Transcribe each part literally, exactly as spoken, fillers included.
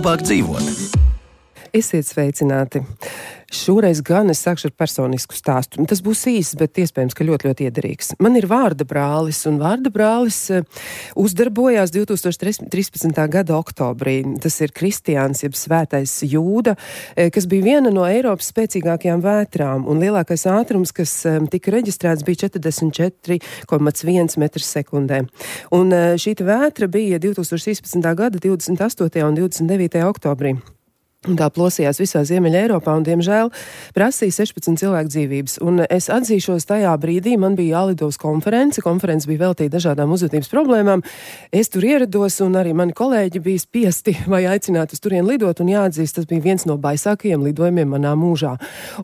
labāk dzīvot. Esiet sveicināti. Šoreiz gan es sākšu ar personisku stāstu. Tas būs īsts, bet iespējams, ka ļoti, ļoti iederīgs. Man ir vārda brālis, un vārda brālis uzdarbojās divi tūkstoši trīspadsmitā gada oktobrī. Tas ir Kristiāns, jeb Svētais Jūda, kas bija viena no Eiropas spēcīgākajām vētrām, un lielākais ātrums, kas tika reģistrēts, bija četrdesmit četri komats viens metrs sekundē. Un šī vētra bija divi tūkstoši trīspadsmitā gada divdesmit astotajā un divdesmit devītajā oktobrī. Un tā plosījās visā Ziemeļa Eiropā un, diemžēl, prasīja sešpadsmit cilvēku dzīvības. Un es atzīšos, tajā brīdī man bija jālido uz konferenci. Konferenci bija veltīta dažādām uzvedības problēmām. Es tur ierados, un arī mani kolēģi bija spiesti vai aicināti uz turien lidot, un jāatzīst, tas bija viens no baisākajiem lidojumiem manā mūžā.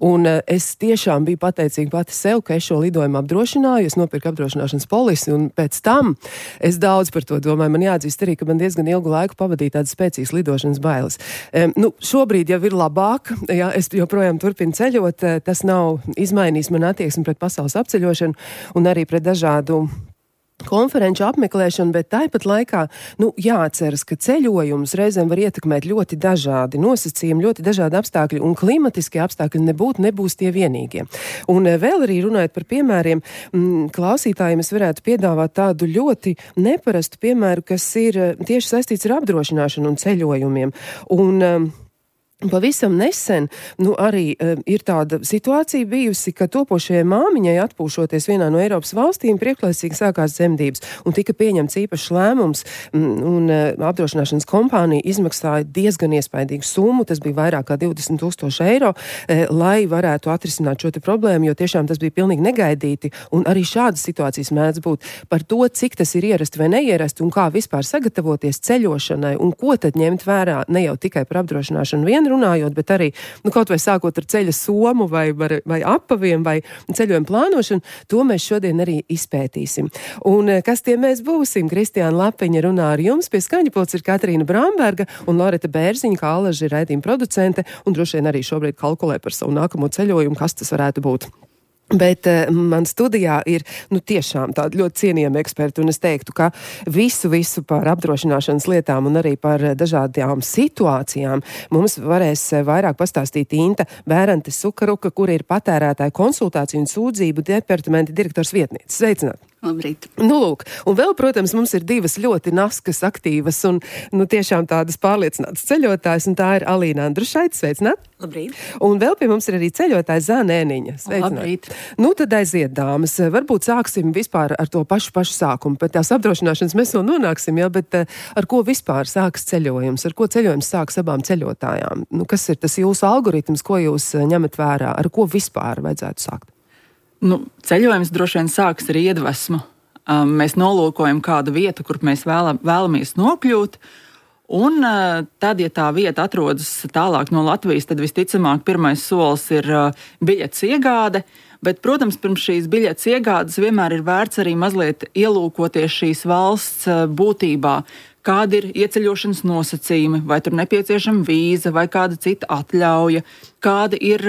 Un es tiešām biju pateicīga pati sev, ka es šo lidojumu apdrošināju, es nopirku apdrošināšanas polisi, un pēc tam es daudz par to domāju. Man jāatzīst arī, ka man diezgan ilgu laiku pavadīja tādas spēcīgas lidošanas bailes. Um, nu, Šobrīd jau ir labāk, ja es joprojām turpinu ceļot, tas nav izmainījis man attieksmi pret pasaules apceļošanu un arī pret dažādu konferenču apmeklēšanu, bet tāpat laikā, nu, jāatceras, ka ceļojums reizēm var ietekmēt ļoti dažādi nosacījumi, ļoti dažādi apstākļi, un klimatiskie apstākļi nebūt, nebūs tie vienīgie. Un vēl arī runājot par piemēriem, m, klausītājiem es varētu piedāvāt tādu ļoti neparastu piemēru, kas ir tieši saistīts ar apdrošināšanu un ceļojumiem. Un pavisam nesen, nu, arī uh, ir tāda situācija bijusi, ka topošajai māmiņai atpūšoties vienā no Eiropas valstīm priekšlaicīgi sākās dzemdības un tika pieņemts īpašs lēmums un, un uh, apdrošināšanas kompānija izmaksāja diezgan iespaidīgu summu, tas bija vairāk kā divdesmit tūkstoši eiro, uh, lai varētu atrisināt šo te problēmu, jo tiešām tas bija pilnīgi negaidīti, un arī šādas situācijas mēdz būt. Par to, cik tas ir ierasti vai neierasti un kā vispār sagatavoties ceļošanai un ko tad ņemt vērā ne jau tikai par apdrošināšanu vienu runājot, bet arī, nu, kaut vai sākot ar ceļa somu vai, vai, vai apaviem vai ceļojumu plānošanu, to mēs šodien arī izpētīsim. Un kas tie mēs būsim? Kristiāna Lapiņa runā ar jums, pie skaņapults ir Katrīna Bramberga un Loreta Bērziņa, kā Alaži ir raidījuma producente, un droši vien arī šobrīd kalkulē par savu nākamo ceļojumu, kas tas varētu būt. Bet uh, man studijā ir, nu, tiešām tādi ļoti cienījami eksperti, un es teiktu, ka visu, visu par apdrošināšanas lietām un arī par dažādām situācijām mums varēs vairāk pastāstīt Inta Bērante Sukaruka, kur ir patērētāju konsultāciju un sūdzību departamenta direktors vietniece. Sveicināt! Labrīt. Nu, lūk, un vēl, protams, mums ir divas ļoti naskas, aktīvas un, nu, tiešām tādas pārliecinātas ceļotājas, un tā ir Alīna Andrušaite. Sveicināt! Labrīt. Un vēl pie mums ir arī ceļotāja Zānēniņa. Sveicināt! Labrīt. Nu, tad aiziet, dāmas. Varbūt sāksim vispār ar to pašu pašu sākumu. Pēc tās apdrošināšanas mēs vēl nonāksim, jā, bet ar ko vispār sāks ceļojums? Ar ko ceļojums sāks abām ceļotājām? Nu, kas ir tas jūsu algoritms, ko jūs ņemat vērā? Ar ko vispār vajadzētu sākt? Nu, ceļojums droši vien sāks ar iedvesmu. Um, mēs nolūkojam kādu vietu, kur mēs vēlam, vēlamies nokļūt. Un uh, tad, ja tā vieta atrodas tālāk no Latvijas, tad visticamāk pirmais solis ir uh, biļetes iegāde. Bet, protams, pirms šīs biļetes iegādes vienmēr ir vērts arī mazliet ielūkoties šīs valsts uh, būtībā. Kādi ir ieceļošanas nosacījumi, vai tur nepieciešama vīza vai kāda cita atļauja, kādi ir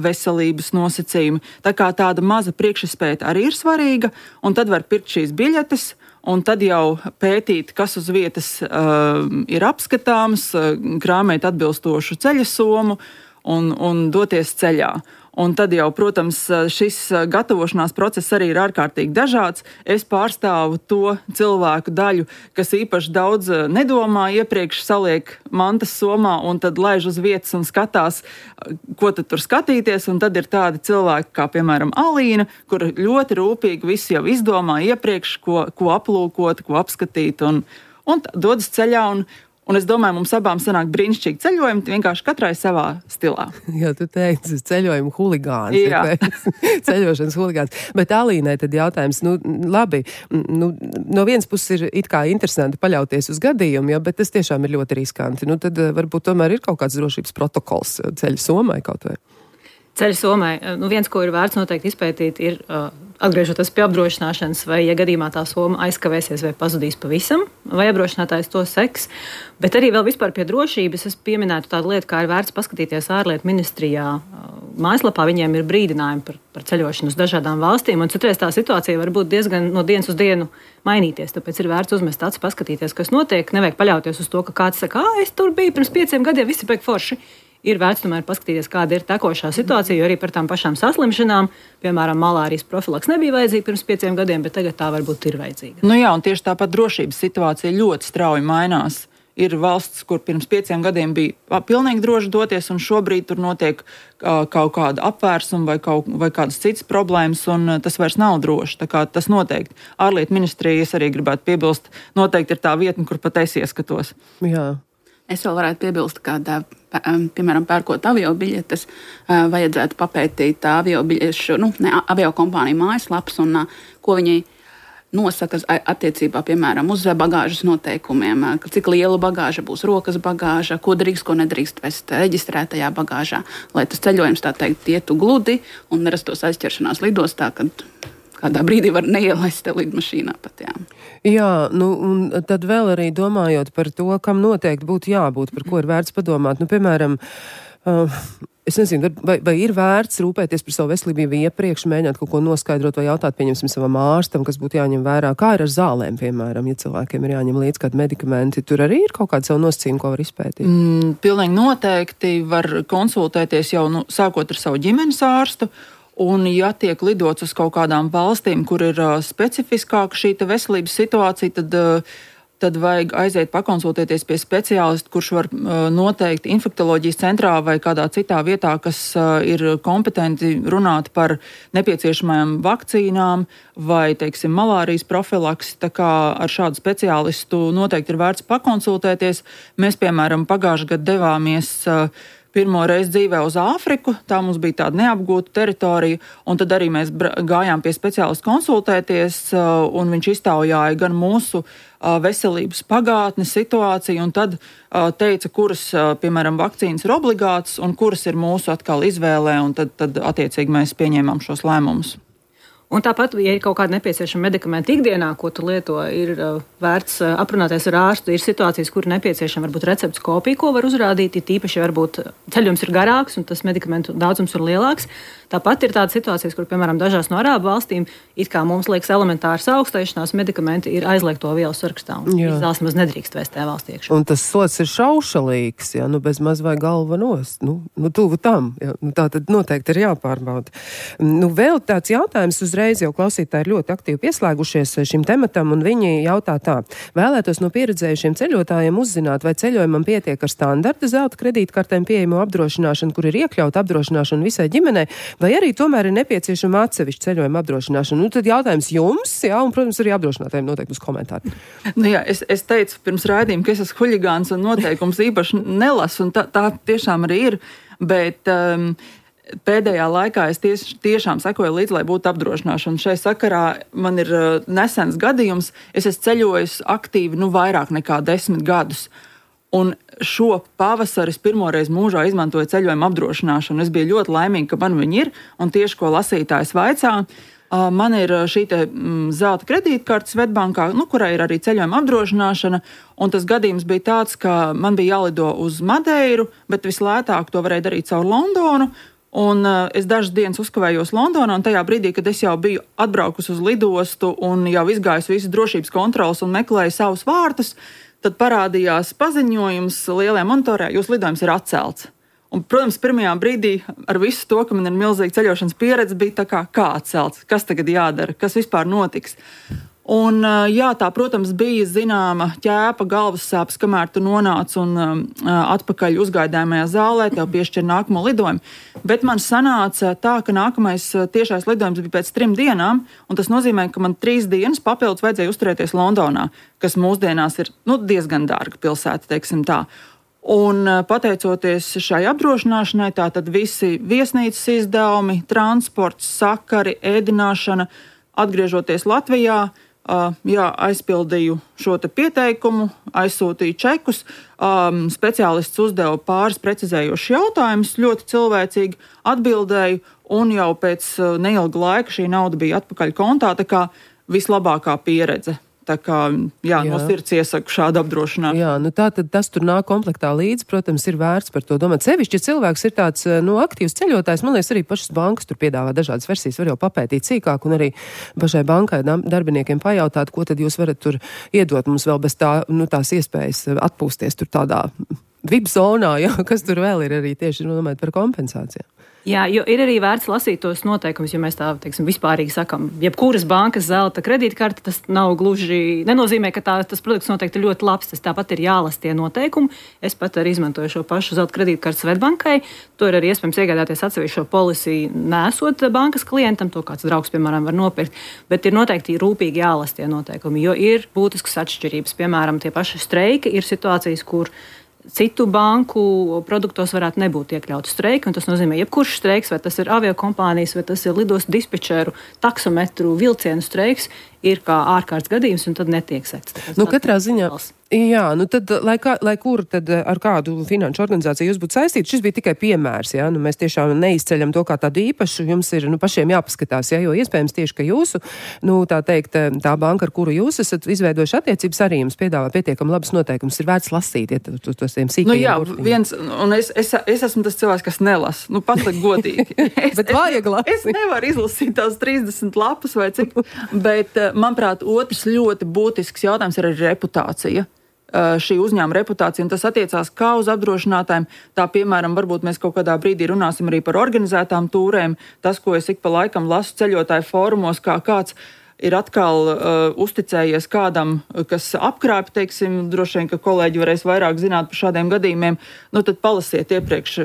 veselības nosacījumi. Tā kā tāda maza priekšizpēta arī ir svarīga, un tad var pirkt šīs biļetes, un tad jau pētīt, kas uz vietas uh, ir apskatāms, uh, krāmēt atbilstošu ceļa somu un, un doties ceļā. Un tad jau, protams, šis gatavošanās process arī ir ārkārtīgi dažāds. Es pārstāvu to cilvēku daļu, kas īpaši daudz nedomā, iepriekš saliek mantas somā un tad laiž uz vietas un skatās, ko tad tur skatīties. Un tad ir tādi cilvēki, kā piemēram Alīna, kur ļoti rūpīgi visu jau izdomā iepriekš, ko, ko aplūkot, ko apskatīt un, un dodas ceļā. Un, Un es domāju, mums abām sanāk brīnišķīgi ceļojumi, vienkārši katrai savā stilā. Jā, tu teici, ceļojumu huligāns. Jā. Ceļošanas huligāns. Bet Alīnai tad jautājums, nu, labi, nu, no vienas puses ir it kā interesanti paļauties uz gadījumu, ja, bet tas tiešām ir ļoti riskanti. Nu, tad varbūt tomēr ir kaut kāds drošības protokols ceļa somai kaut vai. Ceļa somai, nu, viens, ko ir vērts noteikti izpētīt, ir uh, atgriežoties pie apdrošināšanas, vai, ja gadījumā tā soma aizkavēsies vai pazudīs pavisam, vai apdrošinātājs to seks. Bet arī vēl vispār pie drošības es pieminētu tādu lietu, kā ir vērts paskatīties ārlietu ministrijā, uh, mājaslapā viņiem ir brīdinājumi par, par ceļošanu uz dažādām valstīm, un citreiz tā situācija var būt diezgan no dienas uz dienu mainīties. Tāpēc ir vērts uzmest acis, paskatīties, kas notiek. Nevajag paļauties uz to, ka kāds saka, ah, es tur biju pirms pieciem gadiem, visi pēc forši. Ir vērts tomēr paskatīties, kāda ir tekošā situācija, jo arī par tām pašām saslimšanām, piemēram, malārijas profilaks nebija vajadzīga pirms pieciem gadiem, bet tagad tā varbūt ir vajadzīga. Nu jā, un tieši tāpat drošības situācija ļoti strauji mainās. Ir valsts, kur pirms pieciem gadiem bija pilnīgi droši doties, un šobrīd tur notiek uh, kaut kāda apvērsuma vai, kaut, vai kādas citas problēmas, un uh, tas vairs nav droši. Tā kā tas noteikti. Ārlietu ministrijas arī gribētu piebilst, noteikti ir tā vietne, kur pat es ieskatos. Jā. Es vēl varētu piebilst, ka, piemēram, pērkot avio biļetes, vajadzētu papētīt avio biļešu, nu, ne, avio kompāniju mājaslapas un ko viņi nosaka attiecībā, piemēram, uz bagāžas noteikumiem, cik liela bagāža būs rokas bagāža, ko drīkst, ko nedrīkst vest reģistrētajā bagāžā, lai tas ceļojums, tā teikt, ietu gludi un nerastos aizķeršanās lidostā, kad kādā brīdī var neielaist te lidmašīnā pat, jā. Jā, nu, un tad vēl arī domājot par to, kam noteikti būtu jābūt, par ko ir vērts padomāt. Nu, piemēram, uh, es nezinu, vai, vai ir vērts rūpēties par savu veselību iepriekš, mēģināt kaut ko noskaidrot vai jautāt, pieņemsim, savam ārstam, kas būtu jāņem vērā. Kā ir ar zālēm, piemēram, ja cilvēkiem ir jāņem līdz kādi medikamenti? Tur arī ir kaut kāda savu nosacījumu, ko var izpētīt? Mm, pilnīgi noteikti var konsultēties jau nu, sākot ar savu ģimenes ārstu. Un, ja tiek lidots uz kaut kādām valstīm, kur ir uh, specifiskāka šī veselības situācija, tad, uh, tad vajag aiziet pakonsultēties pie speciālista, kurš var uh, noteikt infektoloģijas centrā vai kādā citā vietā, kas uh, ir kompetenti runāt par nepieciešamajām vakcīnām vai, teiksim, malārijas profilaksi. Tā kā ar šādu speciālistu noteikti ir vērts pakonsultēties. Mēs, piemēram, pagājušajā gadā devāmies uh, pirmo reizi dzīvē uz Āfriku, tā mums bija tāda neapgūta teritorija, un tad arī mēs gājām pie speciālista konsultēties, un viņš iztaujāja gan mūsu veselības pagātni, situāciju, un tad teica, kuras, piemēram, vakcīnas ir obligātas, un kuras ir mūsu atkal izvēlē, un tad, tad attiecīgi mēs pieņēmām šos lēmumus. Un tāpat, ja ir kaut kāda nepieciešama medikamenta ikdienā, ko tu lieto, ir uh, vērts uh, aprunāties ar ārstu. Ir situācijas, kur nepieciešama varbūt receptes kopija, ko var uzrādīt, ja tīpaši varbūt ceļojums ir garāks un tas medikamentu daudzums ir lielāks. Tāpat ir tādas situācijas, kur, piemēram, dažās no arābu valstīm, it kā mums liekas elementārs augstēšanās, medikamenti ir aizliegto vielu sarakstā, un izvēles maz nedrīkst vēst tajā valstī iekšā. Un tas sots ir šaušalīgs, ja, nu bez maz vai galva nost, nu, nu tuvu tam, ja, nu tā tad noteikti ir jāpārbauda. Nu vēl tāds jautājums uzreiz, jau klausītāji ir ļoti aktīvi pieslēgušies šim tematam, un viņi jautā tā: vēlētos no pieredzējušiem ceļotājiem uzzināt, vai ceļojumam pietiek ar standarta zelta kredītkartēm pieejamo apdrošināšanu, kur ir iekļauta apdrošināšana visai ģimenei, vai arī tomēr ir nepieciešama atsevišķa ceļojuma apdrošināšana. Nu, tad jautājums jums, jā, un, protams, arī apdrošinātājiem noteikti uz komentāru. Nu jā, es, es teicu pirms raidījuma, ka es esmu huligāns un noteikums īpaši nelasu, un tā, tā tiešām arī ir, bet um, pēdējā laikā es ties, tiešām sekoju līdzi, lai būtu apdrošināšana. Šai sakarā man ir uh, nesens gadījums, es esmu ceļojis aktīvi, nu, vairāk nekā desmit gadus. Un šo pavasari es pirmoreiz mūžā izmantoju ceļojuma apdrošināšanu. Es biju ļoti laimīga, ka man viņi ir, un tieši ko lasītājs vaicā, man ir šī te zelta kredītkarte Svetbankā, nu, kurai ir arī ceļojuma apdrošināšana, un tas gadījums bija tāds, ka man bija jālido uz Madeiru, bet vislētāk to varēja darīt caur Londonu. Un uh, es dažas dienas uzkavējos Londonā, un tajā brīdī, kad es jau biju atbraukusi uz lidostu un jau izgājusi visas drošības kontrolas un meklēju savus vārtus, tad parādījās paziņojums lielajā monitorā: jūs lidojums ir atcelts. Un, protams, pirmajā brīdī ar visu to, ka man ir milzīga ceļošanas pieredze, bija tā kā, kā atcelts, kas tagad jādara, kas vispār notiks. Un, jā, tā, protams, bija zināma ķēpa, galvas sāpes, kamēr tu nonāc un uh, atpakaļ uzgaidāmajā zālē, tev piešķir nākamo lidojumu. Bet man sanāca tā, ka nākamais tiešais lidojums bija pēc trim dienām, un tas nozīmē, ka man trīs dienas papildus vajadzēja uzturēties Londonā, kas mūsdienās ir, nu, diezgan dārga pilsēta, teiksim tā. Un pateicoties šai apdrošināšanai, tātad visi viesnīcas izdevumi, transports, sakari, ēdināšana, atgriežoties Latvijā, Uh, jā, aizpildīju šo te pieteikumu, aizsūtīju čekus, um, speciālists uzdeva pāris precizējošus jautājumus, ļoti cilvēcīgi atbildēju, un jau pēc uh, neilga laika šī nauda bija atpakaļ kontā, tā kā vislabākā pieredze. Tā kā, jā, jā. no sirds iesaku šādu apdrošināšanu. Jā, nu tā tad tas tur nāk komplektā līdzi, protams, ir vērts par to domāt. Sevišķi, ja cilvēks ir tāds, nu, aktīvs ceļotājs, man liekas, arī pašas bankas tur piedāvā dažādas versijas, var jau papētīt sīkāk un arī pašai bankai darbiniekiem pajautāt, ko tad jūs varat tur iedot mums vēl bez tā, nu, tās iespējas atpūsties tur tādā V I P zonā, jā, kas tur vēl ir arī tieši runājot par kompensācijām. Jā, jo ir arī vērts lasīt tos noteikumus, jo mēs tā, teiksim, vispārīgi sakam, jebkuras bankas zelta kredītkarte, tas nav gluži, nenozīmē, ka tā, tas produkts noteikti ir ļoti labs, tas tāpat ir jālasa tie noteikumi. Es pat arī izmantoju šo pašu zelta kredītkarti Svetbankai, to ir arī iespējams iegādāties atsevišķo polisiju, nesot bankas klientam, to kāds draugs, piemēram, var nopirkt, bet ir noteikti rūpīgi jālasa tie noteikumi, jo ir būtiskas atšķirības, piemēram, tie paši streiki, ir situācijas, kur citu banku produktos varētu nebūt iekļauts streiki, un tas nozīmē, jebkurš streiks, vai tas ir aviokompānijas, vai tas ir lidostu dispečeru, taksometru, vilcienu streiks, ir kā ārkārtas gadījums, un tad netiek sekts. Nu, katrā ziņā, jā, nu tad, lai, kā, lai kur tad ar kādu finanšu organizāciju jūs būtu saistīti, šis bija tikai piemērs, jā, nu mēs tiešām neizceļam to kā tādu īpašu, jums ir, nu, pašiem jāpaskatās, jā, jo iespējams tieši, ka jūsu, nu, tā teikt, tā banka, ar kuru jūs esat izveidojuši attiecības, arī jums piedāvā pietiekam labas noteikumus, ir vērts lasīt, ja tos to, tiem sīkajiem. Nu jā, burtiņiem. Viens, un es, es, es esmu tas cilvēks, kas nelas, nu, patliek godīgi. Es, bet vajag lasīt. Es nevaru izlasīt tās trīsdesmit lapas vai cik, bet, manuprāt, otrs ļoti būtisks jautājums ir arī reputācija. Uh, šī uzņēmuma reputācija, un tas attiecās kā uz apdrošinātājiem, tā, piemēram, varbūt mēs kaut kādā brīdī runāsim arī par organizētām tūrēm. Tas, ko es ik pa laikam lasu ceļotāju fórumos, kā kāds ir atkal uh, uzticējies kādam, kas apkrāp, teiksim, droši vien, ka kolēģi varēs vairāk zināt par šādiem gadījumiem, nu tad palasiet iepriekš,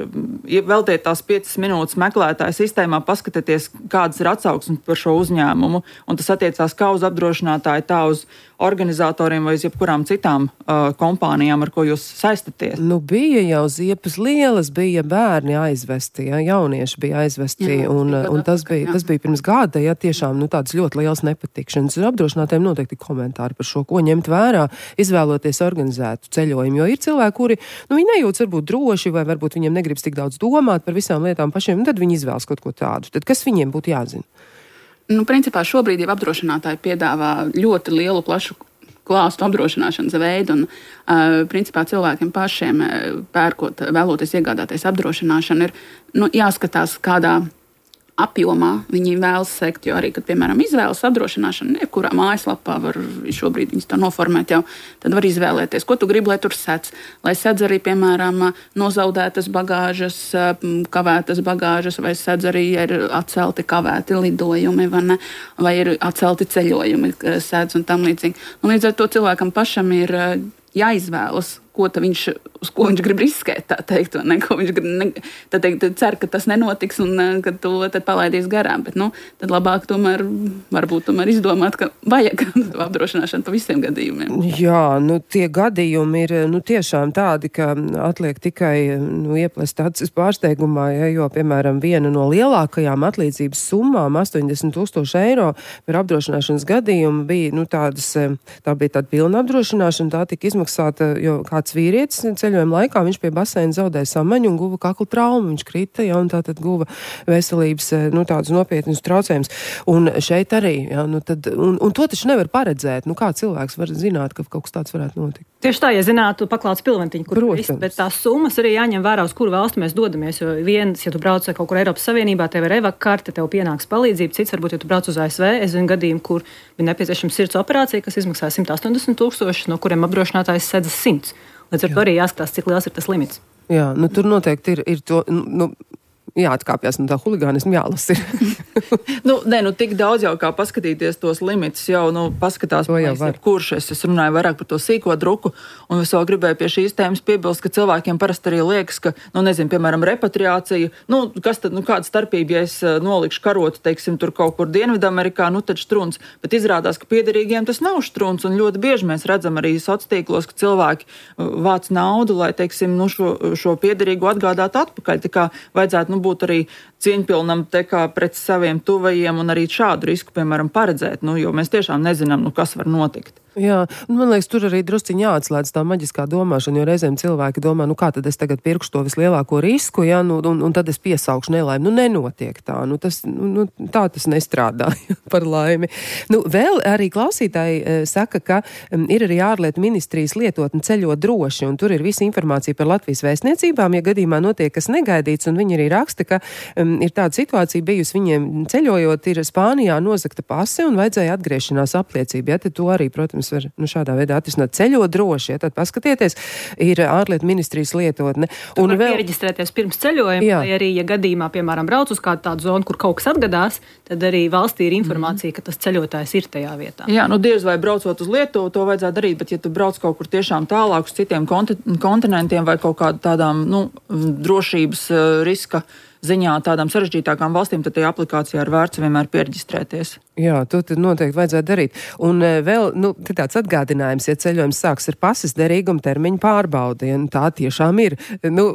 veltiet tās piecas minūtes meklētāju sistēmā, paskatieties, kādas ir atsauksmes par šo uzņēmumu, un tas attiecās kā uz apdrošinātāju, tā uz organizatoriem vai uz jebkurām citām uh, kompānijām, ar ko jūs saistaties. Nu, bija jau ziepes lielas, bija bērni aizvesti, ja, jaunieši bija aizvesti, jā, un, un tas, bija, tas bija pirms gada, ja, tiešām, nu, tāds ļoti liels nepatikšanas. Apdrošinātiem noteikti komentāri par šo, ko ņemt vērā, izvēloties organizētu ceļojumu, jo ir cilvēki, kuri, nu, viņi nejūtas varbūt droši, vai varbūt viņiem negribas tik daudz domāt par visām lietām pašiem, un tad viņi izvēlas kaut ko tādu. Tad kas viņiem būtu jāzina? Nu, principā šobrīd jau apdrošinātāji piedāvā ļoti lielu, plašu klāstu apdrošināšanas veidu, un uh, principā cilvēkiem pašiem pērkot, vēloties iegādāties apdrošināšanu, ir nu, jāskatās, kādā apjomā viņi vēlas sekt, jo arī, kad, piemēram, izvēlas apdrošināšanu, jebkurā mājaslapā var šobrīd viņas tā noformēt jau, tad var izvēlēties, ko tu gribi, lai tur sec. Lai sedz arī, piemēram, nozaudētas bagāžas, kavētas bagāžas, vai sedz arī ir atcelti kavēti lidojumi, vai, ne, vai ir atcelti ceļojumi, sedz un tam līdzīgi. Un līdz ar to cilvēkam pašam ir jāizvēlas, ko viņš, uz ko viņš grib riskēt, tā teikt, ne, ko viņš grib, ne, tā teikt, cer, ka tas nenotiks un ka to tad palaidīs garām, bet, nu, tad labāk tomēr, varbūt tomēr izdomāt, ka vajag apdrošināšanu pa visiem gadījumiem. Jā, nu, tie gadījumi ir, nu, tiešām tādi, ka atliek tikai, nu, ieplest acis pārsteigumā, ja, jo, piemēram, viena no lielākajām atlīdzības summām, astoņdesmit tūkstoši eiro par apdrošināšanas gadījumu bija, nu, tādas, tā bija tāda pilna apdrošināšana, tā tika izmaksāta, jo kāds vīrietis ceļojuma laikā, viņš pie baseina zaudēja samaņu un guva kakla traumu, viņš krita, ja, un tā tad guva veselības, nu, tādus nopietnus traucējumus. Un šeit arī, ja, nu, tad, un, un to taču nevar paredzēt, nu, kā cilvēks var zināt, ka kaut kas tāds varētu notikt. Tieši tā, ja zinātu paklāts pilventiņu, kur viss, bet tās summas arī jāņem vērā, uz kuru valstu mēs dodamies, jo viens, ja tu brauc kaut kur Eiropas Savienībā, tev ir evak karte, tev pienāks palīdzība, cits varbūt, ja tu brauc uz A S V, es zinu gadījumu, kur bija nepieciešama sirds operācija, kas izmaksāja simt astoņdesmit tūkstoši, no kuriem apdrošinātājs sedz simts. Līdz ar to arī jāskatās, cik liels ir tas limits. Jā, nu tur noteikti ir, ir to, nu, jāatkāpjas no tā huligānismu, jālas ir. nu, nē, nu tik daudz jau kā paskatīties tos limitus, jau, nu, paskatās, kurš es, es runāju vairāk par to sīko druku, un es vēl gribēju pie šīs tēmas piebilst, ka cilvēkiem parasti arī liekas, ka, nu, nezinu, piemēram, repatriācija, nu, kas tad, nu, kāda starpība, ja es nolikšu karotu, teiksim, tur kaut kur Dienvidamerikā, nu, tad štruns, bet izrādās, ka piederīgiem tas nav štruns, un ļoti bieži mēs redzam arī sociālos, ka cilvēki vāc naudu, lai, teiksim, nu, šo, šo piederīgu atgādātu atpakaļ, tā kā vajadzētu, nu, būt arī cieņpilnam te kā pret saviem tuvajiem un arī šādu risku, piemēram, paredzēt, nu, jo mēs tiešām nezinām, nu, kas var notikt. Jā, un man liekas, tur arī drusciņi jāatslēdz tā maģiskā domāšana, jo reizēm cilvēki domā, nu kā tad es tagad pirkšu to vislielāko risku, ja, nu, un, un tad es piesaukšu nelaimi. Nu, nenotiek tā, nu, tas, nu, tā tas nestrādā par laimi. Nu, vēl arī klausītāji e, saka, ka um, ir arī ārlietu ministrijas lietotne ceļot droši, un tur ir visa informācija par Latvijas vēstniecībām, ja gadījumā notiek kas negaidīts, un viņi arī raksta, ka um, ir tāda situācija bijusi viņiem ceļojot, ir Spānijā nozagta pase un vajadzēja atgriešanās apliecība, ja, tad to arī, protams, var nu, šādā veidā atrisināt ceļot droši, ja, tad paskatieties, ir ārlietu ministrijas lietotne. Un var vēl piereģistrēties pirms ceļojuma, jā. Vai arī, ja gadījumā, piemēram, brauc uz kādu tādu zonu, kur kaut kas atgadās, tad arī valstī ir informācija, mm. ka tas ceļotājs ir tajā vietā. Jā, nu diez vai braucot uz Lietuvu, to vajadzētu darīt, bet ja tu brauc kaut kur tiešām tālāk uz citiem konti- kontinentiem vai kaut kādu tādām, nu, drošības uh, riska ziņā tādām sarežģītākām valstīm, tad tajā aplikācijā ir vērts vienmēr piereģistrēties. Jā, to tad noteikti vajadzētu darīt. Un e, vēl, nu, tāds atgādinājums, ja ceļojums sāks ar pases derīguma termiņu pārbaudi, ja nu, tā tiešām ir. Nu,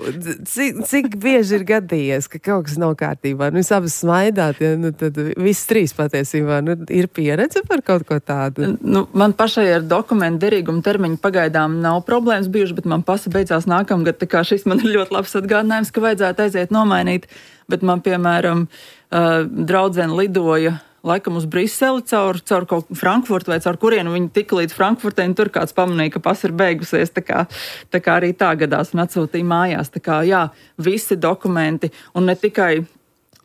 cik, cik bieži ir gadījies, ka kaut kas nav kārtībā, nu, jūs abas smaidāt, ja, nu, tad viss trīs patiesībā, nu, ir pieredze par kaut ko tādu. Nu, man pašai ar dokumentu derīguma termiņu pagaidām nav problēmas bijuši, bet man pasa beidzās nākamgad, tā kā šis man ir ļoti labs atgādinājums, ka vajadzētu aiziet nomainīt. Bet man, piemēram, uh, draudzene lidoja laikam uz Briseli caur, caur kaut Frankfurtu vai caur kurienu viņi tika līdz Frankfurtei, un tur kāds pamanīja, ka pasa ir beigusies, tā kā, tā kā arī tā gadās un atsūtīja mājās. Tā kā, jā, visi dokumenti, un ne tikai,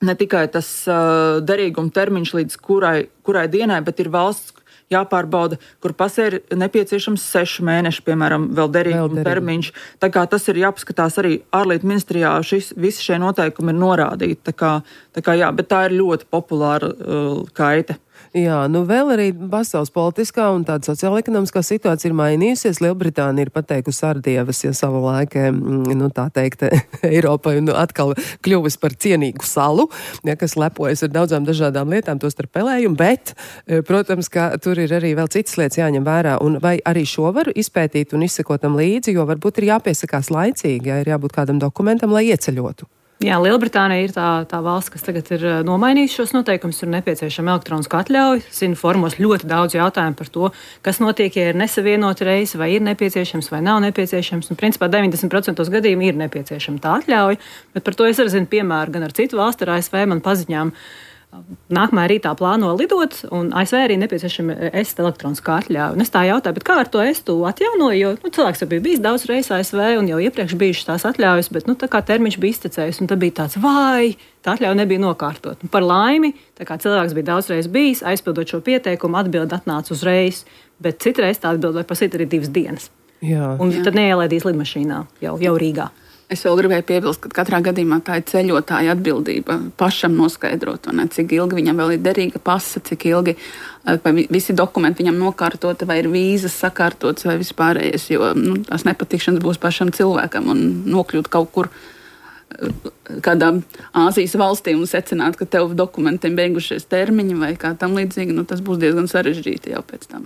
ne tikai tas uh, derīguma termiņš līdz kurai, kurai dienai, bet ir valsts jāpārbauda, kur pasē ir nepieciešams seši mēneši, piemēram, vēl derīguma termiņš. Tā kā tas ir jāpaskatās arī ārlietu ministrijā, šis, visi šie noteikumi ir norādīti. Tā kā, tā kā jā, bet tā ir ļoti populāra uh, kaite. Jā, nu vēl arī pasaules politiskā un tāda sociāla-ekonomiskā situācija ir mainījusies. Lielbritānija ir pateikusi ar dievas, ja savu laiku, nu tā teikt, Eiropai nu, atkal kļuvis par cienīgu salu, ja, kas lepojas ar daudzām dažādām lietām, tos starp pelējumu, bet, protams, ka tur ir arī vēl citas lietas jāņem vērā. Un vai arī šo var izpētīt un izsekot tam līdzi, jo varbūt ir jāpiesakās laicīgi, ja ir jābūt kādam dokumentam, lai ieceļotu. Jā, Lielbritānija ir tā, tā valsts, kas tagad ir nomainījusi šos noteikumus, ir nepieciešama elektroniska atļauja. Zinu, formos ļoti daudz jautājumu par to, kas notiek, ja ir nesavienota reise, vai ir nepieciešams, vai nav nepieciešams. Un, principā, deviņdesmit procentos gadījumu ir nepieciešama tā atļauja, bet par to es arī zinu piemēru gan ar citu valstu, ar A S V man paziņām. Nākamajā rītā plāno lidot, un A S V arī nepieciešama est elektroniskā atļauja. Un es tā jautāju, bet kā ar to estu atjaunoju, jo nu, cilvēks jau bija bijis daudz reizes A S V un jau iepriekš bijušas tās atļaujas, bet nu, tā kā termiņš bija iztecējis, un tad bija tāds, vai tā atļauja nebija nokārtot. Un par laimi, tā kā cilvēks bija daudz reizes bijis, aizpildot šo pieteikumu, atbildi atnāca uzreiz, bet citreiz tā atbildi var pasīt arī divas dienas. Jā. Un Jā. tad neielaidīs lidmašīnā jau, jau Rīgā. Es vēl gribēju piebilst, ka katrā gadījumā tā ir ceļotāja atbildība pašam noskaidrot, ne, cik ilgi viņam vēl ir derīga pasa, cik ilgi vai visi dokumenti viņam nokārtoti, vai ir vīzas sakārtotas, vai vispārējais, jo nu, tās nepatikšanas būs pašam cilvēkam un nokļūt kaut kur kādā Āzijas valstī un secināt, ka tev dokumentiem beigušies termiņi vai kā tam līdzīgi, nu, tas būs diezgan sarežģīti jau pēc tam.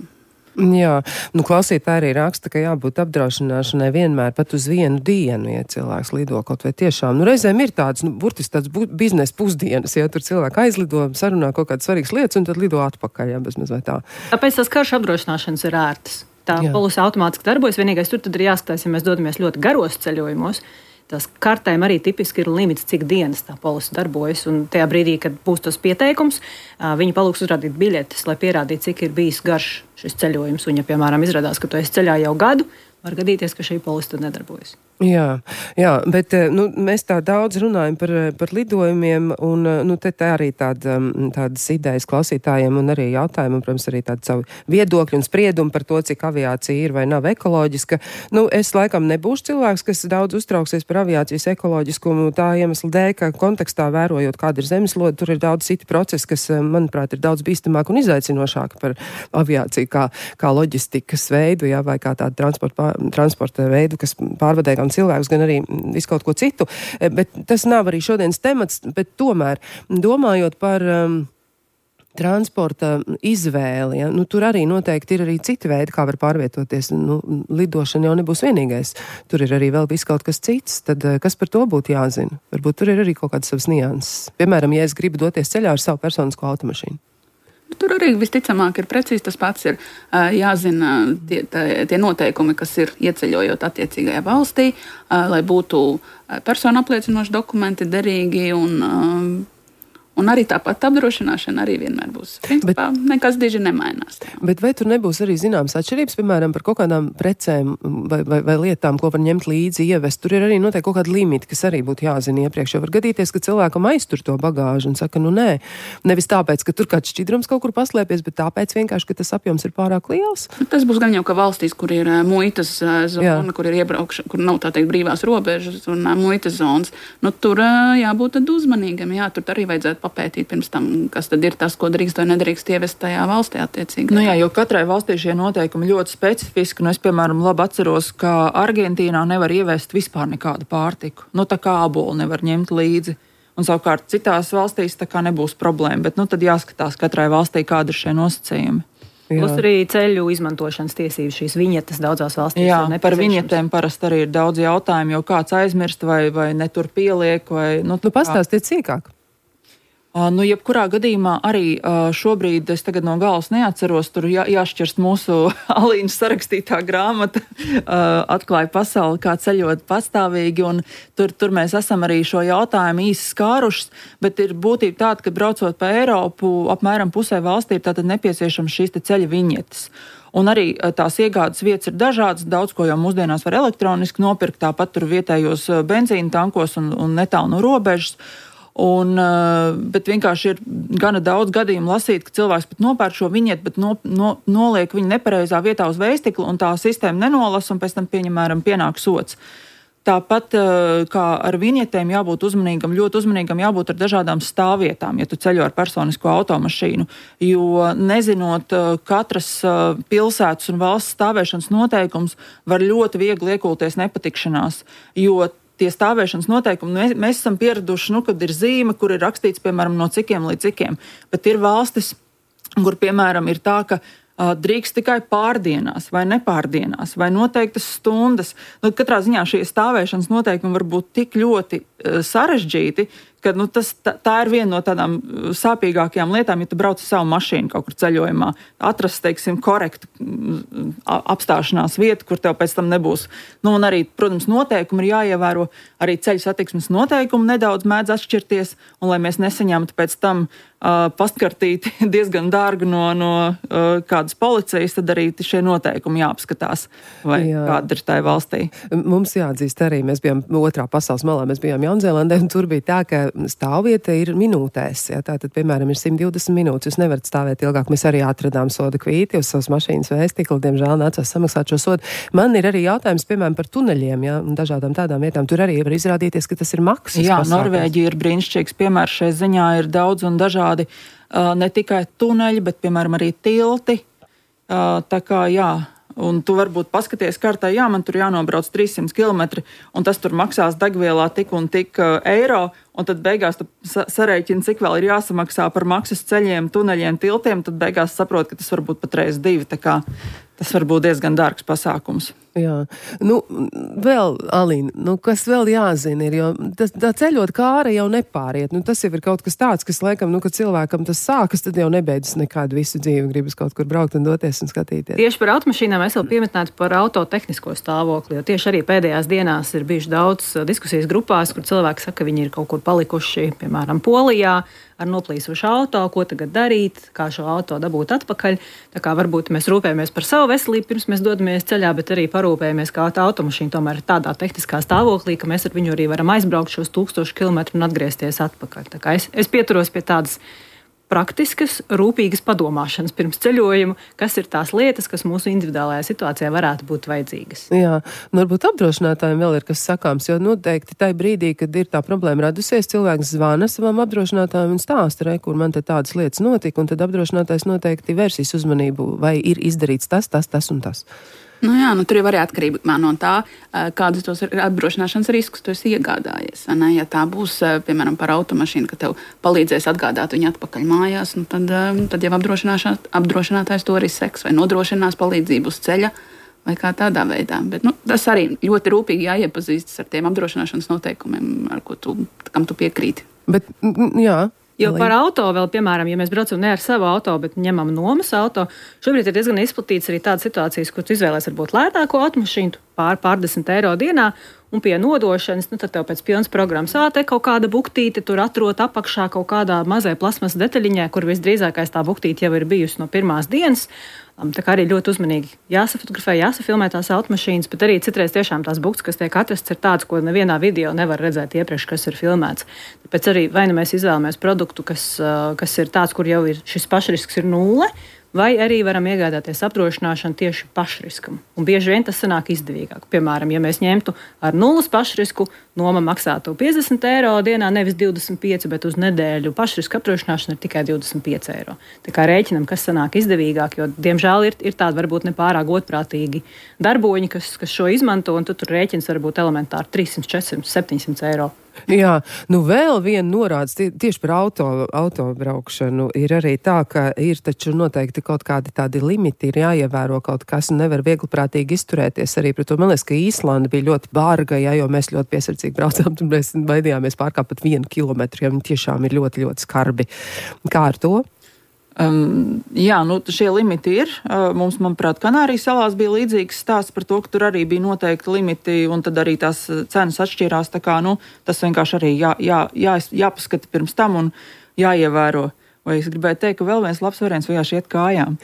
Jā, nu klausītāji arī raksta, ka jābūt apdrošināšanai vienmēr pat uz vienu dienu, ja cilvēks lido kaut vai tiešām. Nu, reizēm ir tāds, nu, burtiski tāds bu- biznesa pusdienas, ja tur cilvēki aizlido, sarunā kaut kādas svarīgas lietas un tad lido atpakaļ, ja bez maz vai tā. Tāpēc tās karšu apdrošināšanas ir ērtas. Tā Jā. polise automātiski darbojas, vienīgais tur tad ir jāskatās, ja mēs dodamies ļoti garos ceļojumos. Tās kartēm arī tipiski ir limits, cik dienas tā polise darbojas. Un tajā brīdī, kad būs tas pieteikums, viņi palūgs uzrādīt biļetes, lai pierādītu, cik ir bijis garš šis ceļojums. Un, ja, piemēram, izrādās, ka tu esi ceļā jau gadu, var gadīties, ka šī polise tad nedarbojas. Jā, jā, bet nu, mēs tā daudz runājam par, par lidojumiem, un nu, te tā arī tāda, tādas idejas klausītājiem un arī jautājumi, un, protams, arī tādi savi viedokļi un spriedumi par to, cik aviācija ir vai nav ekoloģiska. Nu, es laikam nebūšu cilvēks, kas daudz uztrauksies par aviācijas ekoloģiskumu tā iemesla dēļ, ka kontekstā vērojot, kāda ir zemeslode, tur ir daudz citi procesi, kas, manuprāt, ir daudz bīstamāk un izaicinošāk par aviāciju kā, kā loģistikas veidu, jā, vai kā tādu transporta, transporta veidu, kas pārvadē gan cilvēkus, gan arī visu kaut ko citu. Bet tas nav arī šodienas temats, bet tomēr domājot par um, transporta izvēli, ja, nu, tur arī noteikti ir arī citi veidi, kā var pārvietoties. Nu, lidošana jau nebūs vienīgais. Tur ir arī vēl viss kaut kas cits. Tad kas par to būtu jāzina? Varbūt tur ir arī kaut kādas savas nianses. Piemēram, ja es gribu doties ceļā ar savu personisko automašīnu. Tur arī visticamāk ir precīzi tas pats. Ir jāzina tie, tie noteikumi, kas ir ieceļojot attiecīgajā valstī, lai būtu personu apliecinoši dokumenti derīgi un Un arī tāpat apdrošināšana arī vienmēr būs. Principā bet, nekas diži nemainās. Bet vai tur nebūs arī zināmas atšķirības, piemēram, par kaut kādām precēm vai, vai, vai lietām, ko var ņemt līdzi, ievest? Tur ir arī noteikti kaut kāda limita, kas arī būtu jāzina iepriekš. Jo var gadīties, ka cilvēkam aiztur to bagāžu un saka, nu nē, nevis tāpēc, ka tur kāds šķidrums kaut kur paslēpies, bet tāpēc vienkārši, ka tas apjoms ir pārāk liels. Tas būs gan jau, ka valstīs, kur ir muitas zona, kur ir iebraukšana, kur nav tā teikt brīvās robežas un muitas zonas, nu tur jābūt tad uzmanīgam. Jā, tur arī vajadzētu papētīt pirms tam, kas tad ir tas, ko drīkst vai nedrīkst ievest tajā valstī attiecīgi. Nu jā, jo katrai valstī šie noteikumi ļoti specifiski, un es, piemēram, labi atceros, ka Argentīnā nevar ievest vispār nekādu pārtiku. Nu, tā kā ābolu nevar ņemt līdzi. Un savukārt citās valstīs tā kā nebūs problēma, bet nu tad jāskatās katrai valstī, kāda ir šie nosacījumi. Plus arī ceļu izmantošanas tiesības, šīs viņetes daudzās valstīs. Jā, par viņetēm parasti arī ir daudz jautājumu, jo kāds aizmirst vai, vai netur pieliek. Vai, nu, nu pastāstiet cīkāk. Uh, nu, jebkurā gadījumā arī uh, šobrīd es tagad no galvas neatceros, tur jā, jāšķirst mūsu Alīnas sarakstītā grāmata, uh, atklāja pasauli, kā ceļot pastāvīgi, un tur, tur mēs esam arī šo jautājumu īsi skārušas, bet ir būtība tāda, ka braucot pa Eiropu, apmēram pusē valstī ir tātad nepieciešams šīs te ceļa viņetes. Un arī tās iegādes vietas ir dažādas, daudz ko jau mūsdienās var elektroniski nopirkt, tāpat tur vietējos benzīna tankos un, un netālu no robežas. Un, bet vienkārši ir gana daudz gadījumu lasīt, ka cilvēks pat nopērk šo viņietu, bet no, no, noliek viņu nepareizā vietā uz veistiklu, un tā sistēma nenolasa, un pēc tam pieņemēram pienāk sots. Tāpat kā ar viņietēm jābūt uzmanīgam, ļoti uzmanīgam jābūt ar dažādām stāvvietām, ja tu ceļo ar personisko automašīnu, jo nezinot katras pilsētas un valsts stāvēšanas noteikums, var ļoti viegli iekulties nepatikšanās, jo tie stāvēšanas noteikumi, mēs, mēs esam pieraduši, nu, kad ir zīme, kur ir rakstīts, piemēram, no cikiem līdz cikiem, bet ir valstis, kur, piemēram, ir tā, ka uh, drīkst tikai pārdienās vai nepārdienās vai noteiktas stundas. Nu, katrā ziņā šie stāvēšanas noteikumi var būt tik ļoti uh, sarežģīti, ka nu, tas, tā, tā ir viena no tādām sāpīgākajām lietām, ja tu brauc ar savu mašīnu kaut kur ceļojumā, atrast, teiksim, korektu apstāšanās vietu, kur tev pēc tam nebūs. Nu, un arī, protams, noteikumi ir jāievēro, arī ceļu satiksmes noteikumi nedaudz mēdz atšķirties, un lai mēs nesaņemtu pēc tam uh, pastkartīti diezgan dārgu no, no uh, kādas policijas, tad arī šie noteikumi jāapskatās, vai Jā. Kāda ir tai valstī. Mums jāatzīst arī, mēs bijām otrā pasaules malā, mēs bijām Jaunzēlandē, un tur bija tā, ka stāvvieta ir minūtēs. Ja? Tātad, piemēram, ir simt divdesmit minūtes. Jūs nevarat stāvēt ilgāk. Mēs arī atradām soda kvīti uz savas mašīnas vēstikli. Diemžēl nācās samaksāt šo sodu. Man ir arī jautājums, piemēram, par tuneļiem, ja? Un dažādām tādām vietām. Tur arī var izrādīties, ka tas ir maksas. Jā, pasākums. Norvēģija ir brīnišķīgs piemērs. Šai ziņā ir daudz un dažādi uh, ne tikai tuneļi, bet, piemēram, arī tilti. Uh, tā kā, jā. Un tu varbūt paskaties kartā, jā, man tur jānobrauc trīssimt kilometri, un tas tur maksās degvielā tik un tik uh, eiro, un tad beigās tu sa- sarēķini, cik vēl ir jāsamaksā par maksas ceļiem, tuneļiem, tiltiem, tad beigās saprot, ka tas var būt pat reiz divi, tā kā tas var būt diezgan dārgs pasākums. Jā, nu, vēl, Alīna, nu, kas vēl jāzina ir, jo tas, tā ceļot kāra jau nepāriet, nu, tas jau ir kaut kas tāds, kas, laikam, nu, kad cilvēkam tas sākas, tad jau nebeidzas nekādu visu dzīvi, gribas kaut kur braukt un doties un skatīties. Tieši par automašīnām es vēl piemetinātu par autotehnisko stāvokli, jo tieši arī pēdējās dienās ir bijuši daudz diskusijas grupās, kur cilvēki saka, ka viņi ir kaut kur palikuši, piemēram, Polijā, ar noplīsušu auto, ko tagad darīt, kā šo auto dabūt atpakaļ. Tā kā varbūt mēs rūpējamies par savu veselību, pirms mēs dodamies ceļā, bet arī parūpējamies, kā tā automašīna tomēr ir tādā tehniskā stāvoklī, ka mēs ar viņu arī varam aizbraukt šos tūkstošu kilometru un atgriezties atpakaļ. Tā kā es, es pieturos pie tādas praktiskas, rūpīgas padomāšanas pirms ceļojuma, kas ir tās lietas, kas mūsu individuālajā situācijā varētu būt vajadzīgas. Jā, un varbūt apdrošinātājiem vēl ir kas sakāms, jo noteikti tai brīdī, kad ir tā problēma radusies, cilvēks zvana savam apdrošinātājiem un stāsta, re, kur man te tādas lietas notika, un tad apdrošinātājs noteikti vērsīs uzmanību, vai ir izdarīts tas, tas, tas un tas. Nu jā, nu tur jau arī atkarībā no tā, kādus tos apdrošināšanas riskus tu esi iegādājies. Ne? Ja tā būs, piemēram, par automašīnu, ka tev palīdzēs atgādāt viņu atpakaļ mājās, nu tad, tad jau apdrošinātājs to arī seks vai nodrošinās palīdzību uz ceļa vai kā tādā veidā. Bet nu, tas arī ļoti rūpīgi jāiepazīstas ar tiem apdrošināšanas noteikumiem, ar ko tu, kam tu piekrīti. Bet, jā. Jo par auto vēl, piemēram, ja mēs braucam ne ar savu auto, bet ņemam nomas auto, šobrīd ir diezgan izplatīts arī tādas situācijas, kur tu izvēlēs varbūt lētāko automašīnu, pār pārdesmit eiro dienā, un pie nodošanas, nu tad tev pēc pilnas programmas āte kaut kāda buktīte tur atrot apakšā kaut kādā mazai plasmas detaļiņai, kur visdrīzākais tā buktīte jau ir bijusi no pirmās dienas. Tā kā arī ļoti uzmanīgi jāsafotografē, jāsafilmē tās automašīnas, bet arī citreiz tiešām tās buktas, kas tiek atrastas, ir tādas, ko nevienā video nevar redzēt iepriekš, kas ir filmēts. Tāpēc arī vai nu mēs izvēlamies produktu, kas, kas ir tāds, kur jau ir šis pašrisks ir nulle, vai arī varam iegādāties apdrošināšanu tieši pašriskam. Un bieži vien tas sanāk izdevīgāk. Piemēram, ja mēs ņemtu ar nulles pašrisku, noma maksātu piecdesmit eiro dienā, nevis divdesmit pieci, bet uz nedēļu pašriska apdrošināšana ir tikai divdesmit pieci eiro. Tā kā rēķinam, kas sanāk izdevīgāk, jo, diemžēl, ir, ir tādi varbūt nepārāk godprātīgi darboņi, kas, kas šo izmanto, un tu tur rēķins var būt elementāri trīssimt, četrsimt, septiņsimt eiro. Jā, nu vēl viena norādes tie, tieši par auto, autobraukšanu ir arī tā, ka ir taču noteikti kaut kādi tādi limiti, ir jāievēro kaut kas un nevar viegliprātīgi izturēties arī pret to. Man liekas, ka Īslanda bija ļoti bārga, jā, jo mēs ļoti piesardzīgi braucām, un mēs baidījāmies pārkāpt pat vienu kilometru, ja viņi tiešām ir ļoti, ļoti skarbi. Kā ar to? Um, jā, nu šie limiti ir. Uh, mums, manuprāt, Kanārijas salās bija līdzīgs stāsts par to, ka tur arī bija noteikti limiti, un tad arī tās cenas atšķīrās. Tā kā, nu, tas vienkārši arī jā, jā, jā, jāpaskata pirms tam un jāievēro. Vai es gribēju teikt, ka vēl viens labs variants vienkārši iet kājām.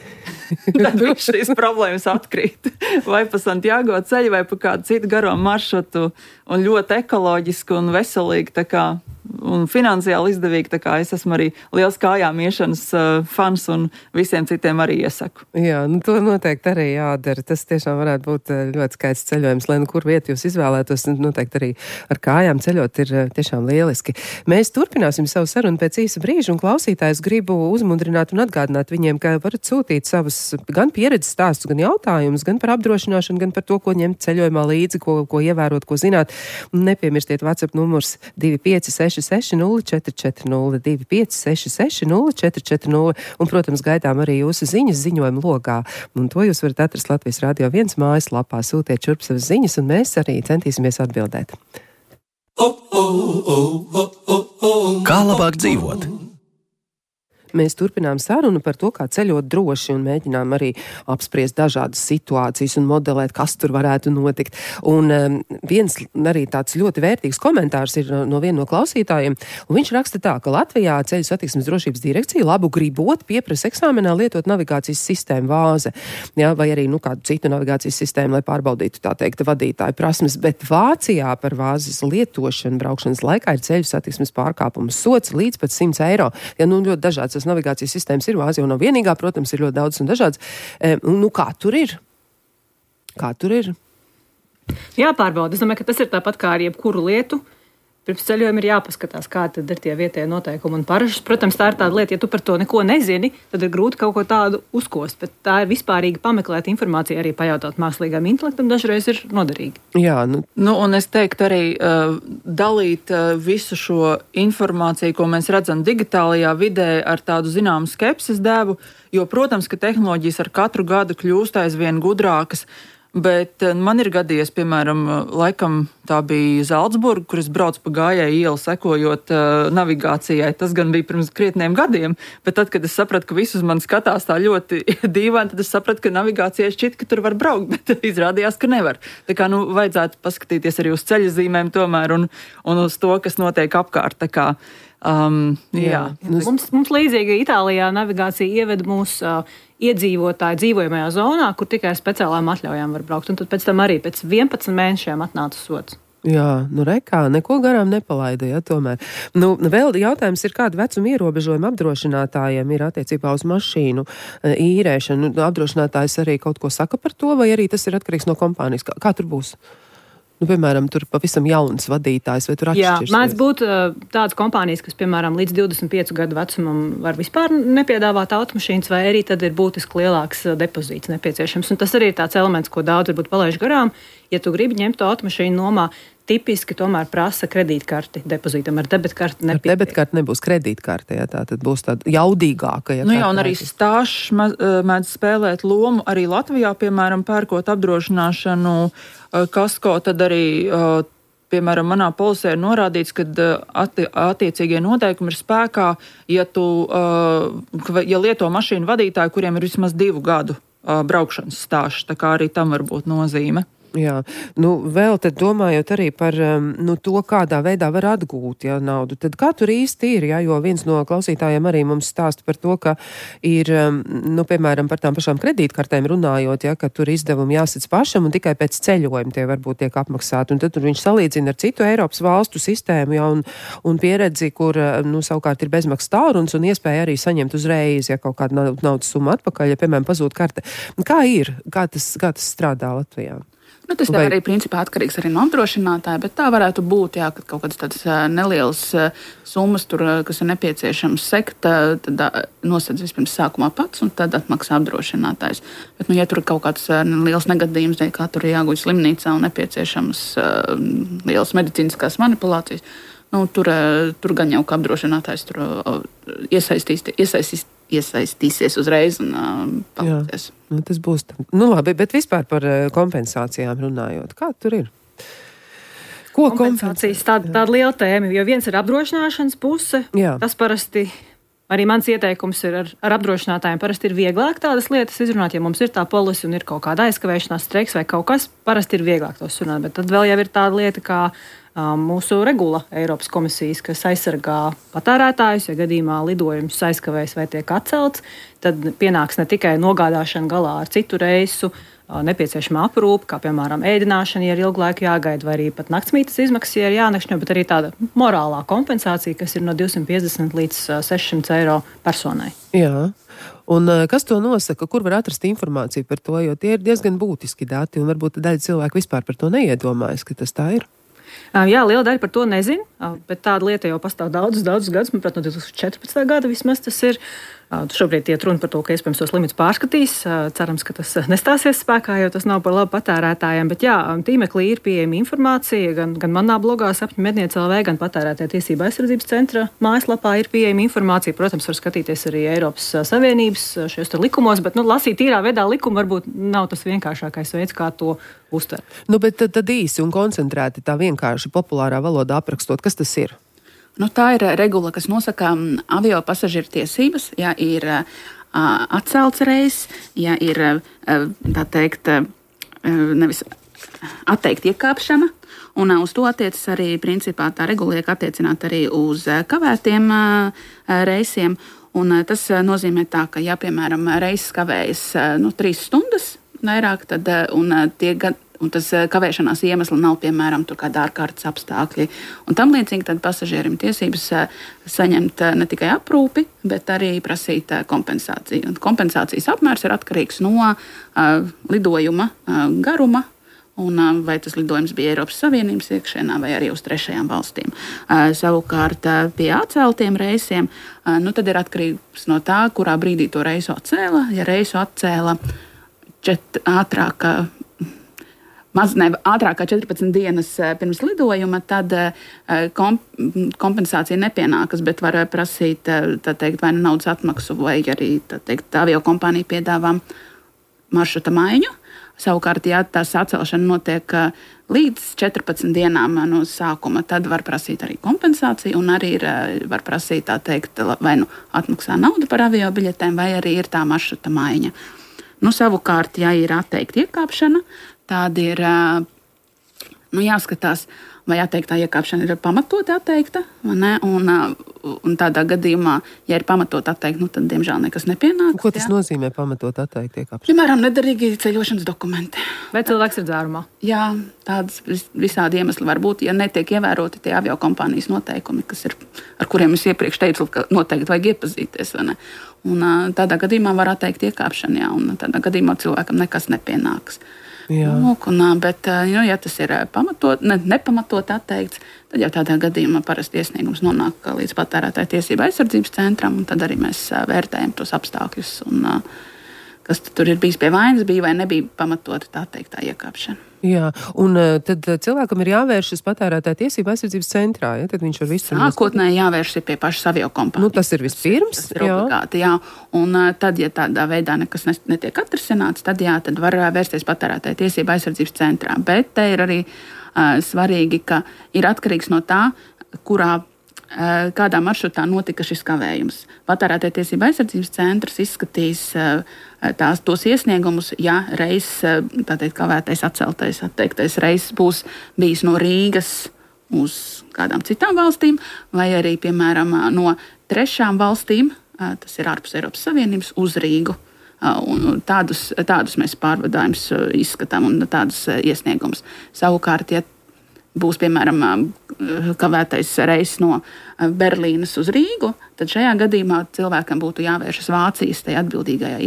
Tad viss šīs problēmas atkrīt. Vai pa Santiago ceļu, vai pa kādu citu garo maršrutu, un ļoti ekoloģiski un veselīgi, tā kā un finansiāli izdevīgi, tā kā es esmu arī liels kājām iešanas uh, fans un visiem citiem arī iesaku. Jā, nu to noteikti arī jādara. Tas tiešām varētu būt ļoti skaists ceļojums, lai nu kur vietu jūs izvēlētos, noteikti arī ar kājām ceļot ir tiešām lieliski. Mēs turpināsim savu sarunu pēc īsa brīža, un klausītājs gribu uzmundrināt un atgādināt viņiem, ka varat sūtīt savus gan pieredzes stāstus, gan jautājumus, gan par apdrošināšanu, gan par to, ko ņemt ceļojumā līdzi, ko, ko ievērot, ko zināt. Un nepiemirstiet WhatsApp numurs divi pieci seši seši nulle četri četri nulle, divi pieci seši seši nulle četri četri nulle, un, protams, gaidām arī jūsu ziņas ziņojuma logā. Un to jūs varat atrast Latvijas Radio viens mājaslapā, sūtiet šurp savas ziņas, un mēs arī centīsimies atbildēt. Kā labāk dzīvot? Mēs turpinām sarunu par to, kā ceļot droši, un mēģinām arī apspriest dažādas situācijas un modelēt, kas tur varētu notikt. Un um, viens arī tāds ļoti vērtīgs komentārs ir no, no viena no klausītājiem, un viņš raksta tā, ka Latvijā Ceļu satiksmes drošības direkcija labu gribot pieprasa eksāmenā lietot navigācijas sistēmu Vāze, jā, vai arī nu, kādu citu navigācijas sistēmu, lai pārbaudītu tā teikt vadītāju prasmes, bet Vācijā par Vāzes lietošanu braukšanas laikā ir ceļu satiksmes pārkāpums sots līdz pat simts eiro. Ja, nu, ļoti dažāds tas navigācijas sistēmas ir, Vācija jau nav vienīgā, protams, ir ļoti daudz un dažāds. E, nu, kā tur ir? Kā tur ir? Jāpārbauda. Es domāju, ka tas ir tāpat kā ar jebkuru lietu. Pirms ceļojuma ir jāpaskatās, kādi ir tie vietējie noteikumi un parašas. Protams, tā ir tāda lieta, ja tu par to neko nezini, tad ir grūti kaut ko tādu uzkost, bet tā ir vispārīgi pameklēt informāciju, arī pajautāt mākslīgam intelektam, dažreiz ir noderīgi. Jā, nu. Nu, un es teiktu arī uh, dalīt uh, visu šo informāciju, ko mēs redzam digitālajā vidē, ar tādu zināmu skepses devu, jo, protams, ka tehnoloģijas ar katru gadu kļūst aizvien gudrākas. Bet man ir gadījies, piemēram, laikam tā bija Zalcburga, kur es braucu pa gājēju ielu sekojot uh, navigācijai. Tas gan bija pirms krietniem gadiem, bet tad, kad es sapratu, ka visi uz mani skatās tā ļoti dīvaini, tad es sapratu, ka navigācijai šķiet, ka tur var braukt, bet izrādījās, ka nevar. Tā kā, nu, vajadzētu paskatīties arī uz ceļa zīmēm tomēr un, un uz to, kas notiek apkārt. Tā kā, um, jā. Jā. Mums, mums līdzīgi Itālijā navigācija ieved mūs uh, iedzīvotāju dzīvojamajā zonā, kur tikai ar speciālām atļaujām var braukt. Un tad pēc tam arī pēc vienpadsmit mēnešiem atnāca sots. Jā, nu rekā, neko garām nepalaida, ja tomēr. Nu, vēl jautājums ir, kāda vecuma ierobežojuma apdrošinātājiem ir attiecībā uz mašīnu īrēšanu. Apdrošinātājs arī kaut ko saka par to, vai arī tas ir atkarīgs no kompānijas? Kā, kā tur būs? Nu, piemēram, tur pavisam jauns vadītājs, vai tur atšķirsies? Jā, mēdz būt uh, tādas kompānijas, kas, piemēram, līdz divdesmit piecu gadu vecumam var vispār nepiedāvāt automašīnas, vai arī tad ir būtiski lielāks uh, depozīts nepieciešams. Un tas arī ir tāds elements, ko daudz varbūt palaiž garām. Ja tu gribi ņemt to automašīnu nomā, tipiski tomēr prasa kredītkarti depozītam. Ar debitkarti nepietiek. Ar debitkarti nebūs kredītkarte, ja tā tad būs tāda jaudīgāka. Ja nu jā, un arī stāžs mēdz spēlēt lomu. Arī Latvijā, piemēram, pērkot apdrošināšanu kasko, tad arī piemēram, manā polisē ir norādīts, ka atti, attiecīgie noteikumi ir spēkā, ja tu, ja lieto mašīnu vadītāji, kuriem ir vismaz divu gadu braukšanas stāsts, tā kā arī tam var būt nozīme. Jā, nu vēl tad domājot arī par nu, to, kādā veidā var atgūt ja, naudu, tad kā tur īsti ir, ja, jo viens no klausītājiem arī mums stāsta par to, ka ir, nu, piemēram, par tām pašām kredītkartēm runājot, ja, ka tur izdevumi jāsadz pašam un tikai pēc ceļojuma tie varbūt tiek apmaksāti, un tad tur viņš salīdzina ar citu Eiropas valstu sistēmu, ja, un, un pieredzi, kur, nu, savukārt ir bezmaksas tālrunis un iespēja arī saņemt uzreiz, ja kaut kāda naudas summa atpakaļ, ja, piemēram, pazūd karte. Kā ir? Kā tas, kā tas strādā Latvijā? Nu, tas Vai... arī principā atkarīgs arī no apdrošinātāja, bet tā varētu būt, jā, kad kaut kādas tādas nelielas summas, tur, kas ir nepieciešams sekt, tad nosedz vispirms sākumā pats un tad atmaksā apdrošinātājs. Bet, nu, ja tur ir kaut kāds liels negadījums, kā tur ir jāguļ slimnīcā un nepieciešams lielas medicīniskās manipulācijas, nu, tur, tur gan jau kā apdrošinātājs tur iesaistīs, iesaistīs iesaistīsies uzreiz un uh, palīdzēs. Nu, tas būs tam. Nu labi, bet vispār par uh, kompensācijām runājot. Kā tur ir? Ko kompensācijas? Tāda, tāda liela tēma, jo viens ir apdrošināšanas puse. Jā. Tas parasti, arī mans ieteikums ir ar, ar apdrošinātājiem, parasti ir vieglāk tādas lietas izrunāt, ja mums ir tā polisi un ir kaut kāda aizkavēšanās, streiks vai kaut kas, parasti ir vieglāk tos runāt, bet tad vēl jau ir tāda lieta kā mūsu regula Eiropas komisijas, kas aizsargā patērētājus, ja gadījumā lidojums aizkavējas vai tiek atcelts, tad pienāks ne tikai nogādāšana galā ar citu reisu, nepieciešama aprūpe, kā piemēram ēdināšana, ja ir ilgu laiku jāgaida, vai arī pat naktsmītnes izmaksas, ja ir jānakšņo, bet arī tāda morālā kompensācija, kas ir no divsimt piecdesmit līdz sešsimt eiro personai. Jā. Un kas to nosaka, kur var atrast informāciju par to, jo tie ir diezgan būtiski dati, un varbūt daļa cilvēku vispār par to neiedomājas, ka tas tā ir. Jā, liela daļa par to nezina, bet tāda lieta jau pastāv daudzus, daudzus gadus, manuprāt, no divsimt četrpadsmitā gada vismaz tas ir. Šobrīd iet runa par to, ka iespējams tos limitus pārskatīs. Cerams, ka tas nestāsies spēkā, jo tas nav par labu patērētājiem. Bet jā, tīmeklī ir pieejama informācija, gan, gan manā blogā Sapņu medniece L V, gan patērētāju tiesību aizsardzības centra mājaslapā ir pieejama informācija. Protams, var skatīties arī Eiropas Savienības šajos likumos, bet nu, lasīt tīrā veidā likumu varbūt nav tas vienkāršākais veids, kā to uztvert. Nu, bet tad, tad īsi un koncentrēti tā vienkārši populārā valodā aprakstot, kas tas ir? Nu, tā ir regula, kas nosaka avio pasažieru tiesības, ja ir uh, atcelts reizes, ja ir uh, tā teikt, uh, nevis atteikt iekāpšana, un uh, uz to attiecas arī principā tā regula liek attiecināt arī uz uh, kavētiem uh, reisiem, un uh, tas uh, nozīmē tā, ka ja, piemēram, reises kavējas uh, nu, trīs stundas vairāk, tad uh, un uh, tie gad un tas kavēšanās iemesli nav, piemēram, tur kāda ārkārtas apstākļi. Un tam līdzīgi tad pasažierim tiesības saņemt ne tikai aprūpi, bet arī prasīt kompensāciju. Un kompensācijas apmērs ir atkarīgs no uh, lidojuma uh, garuma, un uh, vai tas lidojums bija Eiropas Savienības iekšēnā vai arī uz trešajām valstīm. Uh, savukārt uh, pie atceltiem reisiem, uh, nu tad ir atkarīgs no tā, kurā brīdī to reisu atcēla. Ja reisu atcēla čet, ātrāk, Maz ne ātrāk kā četrpadsmit dienas pirms lidojuma, tad komp kompensācija nepienākas, bet var prasīt tā teikt, vai nu naudas atmaksu, vai arī tā teikt, avio kompānija piedāvā maršruta maiņu. Savukārt, ja tās atcelšana notiek līdz četrpadsmit dienām no sākuma, tad var prasīt arī kompensāciju un arī ir, var prasīt tā teikt, vai nu atmaksā naudu par avio biļetēm, vai arī ir tā maršruta maiņa. Nu, savukārt, ja ir atteikta iekāpšana, tāda ir nu, jāskatās, vai atteiktā iekāpšana ir pamatoti atteikta, ne? Un, un tādā gadījumā, ja ir pamatot atteikt, nu, tad, diemžēl, nekas nepienāks. Ko tas jā. nozīmē pamatot atteikt iekāpšanu? Piemēram, nederīgi ceļošanas dokumenti. Vai cilvēks ir dzērumā? Jā, tādas visādi iemesli var būt, ja netiek ievēroti tie aviokompānijas noteikumi, kas ir, ar kuriem es iepriekš teicu, ka noteikti vajag iepazīties, vai ne? Un tādā gadījumā var atteikt iekāpšanu, jā, un tādā gadījumā cilvēkam nekas nepienāks. Lūk, un, bet, nu, ja tas ir pamatot, ne, nepamatot atteikts, tad jau tādā gadījumā parasti iesniegums nonāk līdz patērētāju tiesību aizsardzības centram, un tad arī mēs vērtējam tos apstākļus, un, kas tur ir bijis pie vainas, bija vai nebija pamatota tā teikt tā iekāpšana. Jā, un tad cilvēkam ir jāvēršas patērētāja tiesība aizsardzības centrā, ja? Tad viņš var visu... Sākotnēji jāvēršas pie pašas aviokompānijas. Nu, tas ir vispirms, tas ir, tas ir obligāti, jā. Un tad, ja tādā veidā nekas netiek atrisināts, tad jā, tad var vērsties patērētāja tiesība aizsardzības centrā. Bet te ir arī uh, svarīgi, ka ir atkarīgs no tā, kurā kādā maršrutā notika šis kavējums. Patērētāja tiesība aizsardzības centrs izskatīs tās, tos iesniegumus, ja reiz tātad kavētais, atceltais, atteiktais reizes būs bijis no Rīgas uz kādām citām valstīm, vai arī, piemēram, no trešām valstīm, tas ir ārpus Eiropas Savienības, uz Rīgu. Un tādus, tādus mēs pārvadājumus izskatām un tādus iesniegumus. Savukārt, ja būs, piemēram, kavētais reizes no Berlīnas uz Rīgu, tad šajā gadījumā cilvēkam būtu jāvēršas Vācijas tajā atbildīgajā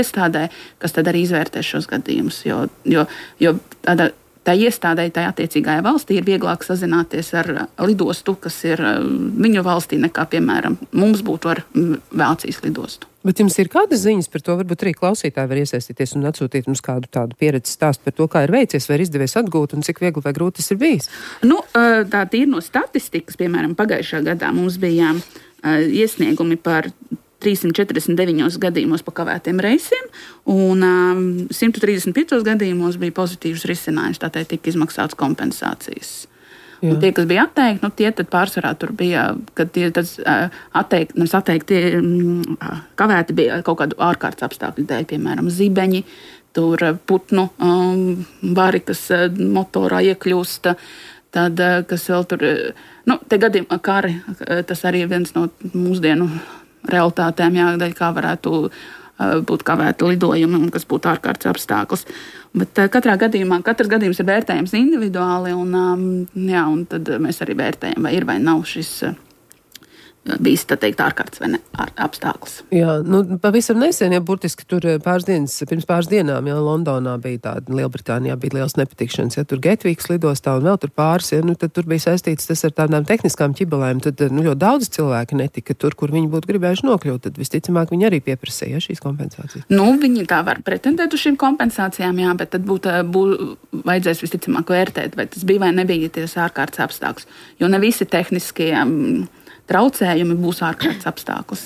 iestādē, kas tad arī izvērtē šos gadījumus. Jo, jo, jo tāda, tā iestādē, tā attiecīgajā valstī ir vieglāk sazināties ar lidostu, kas ir viņu valstī, nekā, piemēram, mums būtu ar Vācijas lidostu. Bet jums ir kādas ziņas par to, varbūt arī klausītāji var iesaistīties un atsūtīt mums kādu tādu pieredzi stāstu par to, kā ir veicies, vai ir izdevies atgūt un cik viegli vai grūti tas ir bijis? Nu, tā tīri no statistikas, piemēram, pagājušā gadā mums bija iesniegumi par trīssimt četrdesmit deviņos gadījumos pa kavētiem reisiem, un um, simt trīsdesmit piecos gadījumos bija pozitīvs risinājums, tātad tika izmaksāts kompensācijas. Un tie, kas bija atteikti, nu, tie tad pārsvarā tur bija, kad tie tad atteikti, nevis atteikti, kavēti bija kaut kādu ārkārtas apstākļu dēļ, piemēram, zibeņi, tur putnu um, vari, kas motorā iekļūst, tad, kas vēl tur, nu, te gadījumā kari, tas arī viens no mūsdienu realitātēm, jā, kā varētu būt kavēti lidojumi un kas būtu ārkārtas apstākļus. Bet katrā gadījumā, katrs gadījums ir vērtējams individuāli, un, jā, un tad mēs arī vērtējam, vai ir vai nav šis bijis, tā teikt, ārkārtas vai ne apstākļus. Jā, nu, pavisam nesen, ja burtiski tur pāris dienas, pirms pāris dienām, ja Londonā bija tāda, Lielbritānijā bija liels nepatikšanas, ja tur Getvīks lidostā un vēl tur pāris, ja, nu, tad tur bija saistīts tas ar tādām tehniskām ķibelēm, tad, nu, ļoti daudz cilvēki netika tur, kur viņi būtu gribējuši nokļūt, tad visticamāk viņi arī pieprasīja šīs kompensācijas. Nu, viņi tā var pretendēt uz šīm kompensācijām, jā, bet tad būtu, būtu vajadzēs visticamāk vērtēt, vai tas bija vai nebija ties ārkārtas apstākļus, jo ne visi tehniskie traucējumi būs ārkārtas apstākļus.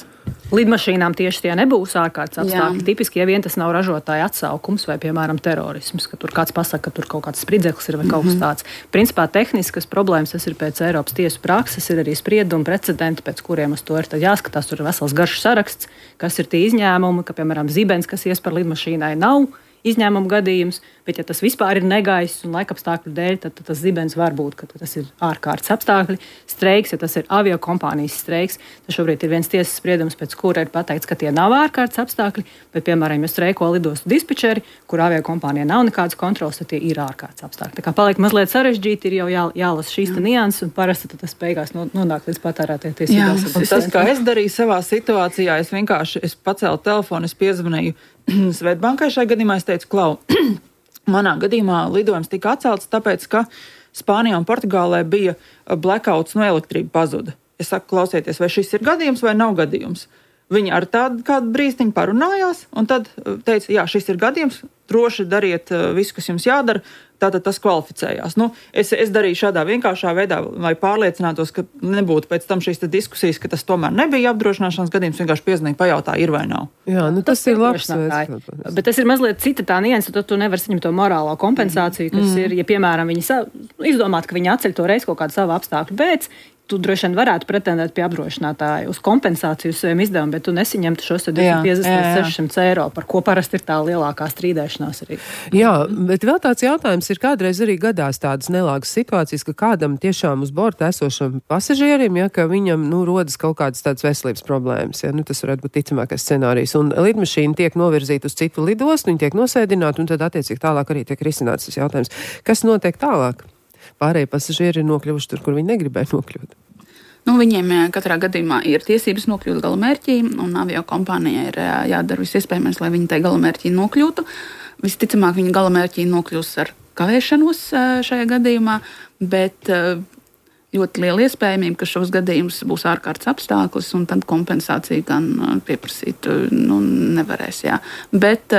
Lidmašīnām tieši tie nebūs ārkārtas apstākļi. Jā. Tipiski, ja vien tas nav ražotāja atsaukums vai, piemēram, terorisms, ka tur kāds pasaka, ka tur kaut kāds spridzeklis ir vai kaut kas tāds. Principā tehniskas problēmas, tas ir pēc Eiropas tiesu prakses, ir arī spriedumi, precedenti, pēc kuriem uz to ir tad jāskatās. Tur ir vesels garš saraksts, kas ir tie izņēmumi, ka, piemēram, zibens, kas ies par lidmašīnai, nav izņēmuma gadījums, bet ja tas vispār ir negaiss un laikapstākļu dēļ, tad, tad tas zibens var būt, ka tas ir ārkārtas apstākļi. Streiks, ja tas ir aviokompānijas streiks, tad šobrīd ir viens tiesas spriedums, pēc kura ir pateikts, ka tie nav ārkārtas apstākļi, bet, piemēram, ja streiko lidostu dispečeri, kur aviokompānijā nav nekādas kontrolas, tad tie ir ārkārtas apstākļi. Tā kā paliek mazliet sarežģīti, ir jau jā, jālasa šīs nianses, un parasti tas beigās nonāk līdz patērētāju tiesībām. Tas, kā es darīju savā situācijā, es vienkārši es pacēlu telefonu, es piezvanīju Svetbankai šajā gadījumā, es teicu, klau, manā gadījumā lidojums tika atcelts, tāpēc, ka Spānijā un Portugālē bija blackouts, no elektrība pazuda. Es saku, klausieties, vai šis ir gadījums vai nav gadījums. Viņi ar tādu kādu brīstiņu parunājās, un tad teica, jā, šis ir gadījums, droši dariet visu, kas jums jādara, tātad tas kvalificējās. Nu, es, es darīju šādā vienkāršā veidā, lai pārliecinātos, ka nebūtu pēc tam šīs diskusijas, ka tas tomēr nebija apdrošināšanas gadījums, vienkārši piezvanīja, pajautā, ir vai nav. Jā, nu tas, tas ir labs veids. Bet tas ir mazliet cita tā nianse, tad tu nevari saņemt to morālo kompensāciju, kas mm. ir, ja, piemēram, viņi sa... izdomāt, ka viņi atceļ to reiz kaut kādu savu apstākļu pēc, tu droši vien varētu pretendēt pie apdrošinātāja uz kompensāciju uz saviem izdevumiem, bet tu nesaņemtu šos piecdesmit līdz sešsimt eiro, par ko parasti ir tā lielākā strīdēšanās arī. Jā, bet vēl tāds jautājums ir, kādreiz arī gadās tādas nelāgas situācijas, ka kādam tiešām uz borta esošam pasažierim, ja, ka viņam, nu, rodas kaut kādas tādas veselības problēmas, ja, nu, tas varētu būt ticamākais scenārijs, un lidmašīna tiek novirzīta uz citu lidostu, viņi tiek nosēdināti, un tad attiecīgi tālāk arī tiek risināts tas jautājums. Kas notiek tālāk? Pārējie pasažieri ir nokļuvuši tur, kur viņi negribēja nokļūt. Nu, viņiem katrā gadījumā ir tiesības nokļūt galamērķī, un aviokompānijai ir jādara viss iespējamais, lai viņi tai galamērķī nokļūtu. Visticamāk, viņi galamērķī nokļūs ar kavēšanos šajā gadījumā, bet ļoti liela iespējamība, ka šos gadījumus būs ārkārtas apstākļus, un tad kompensāciju gan pieprasīt nu, nevarēs. Jā. Bet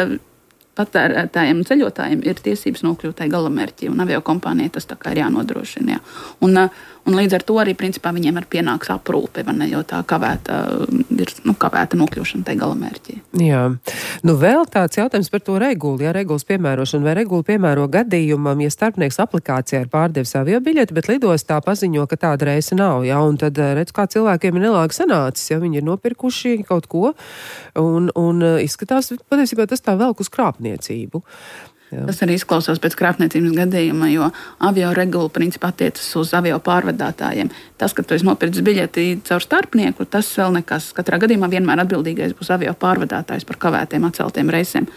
patērētājiem un ceļotājiem ir tiesības nokļūt tai galamērķī, un aviokompānijai tas tā kā ir jānodrošina. Jā. Un, un līdz ar to arī principā viņiem ir pienāks aprūpe, vai ne, jo tā kavēta ir nu, kavēta nokļūšana tai galamērķī. Jā. Nu vēl tāds jautājums par to regulu, ja regulas piemērošanu, vai regula piemēro gadījumam, ja starpnieks aplikācijā ir pārdevis aviobiļeti, bet lidostā paziņo, ka tāda reisa nav, jā, un tad redz, kā cilvēkiem ir nelāgi sanācis, ja viņi ir nopirkuši kaut ko, un, un izskatās, patiesībā tas tā velk uz krāpniecību. Jā. Tas arī izklausās pēc krāpniecības gadījuma, jo avio regula principā attiecas uz avio pārvadātājiem. Tas, ka tu esi nopircis biļeti caur starpnieku, tas vēl nekas. Katrā gadījumā vienmēr atbildīgais būs avio pārvadātājs par kavētiem atceltiem reisiem.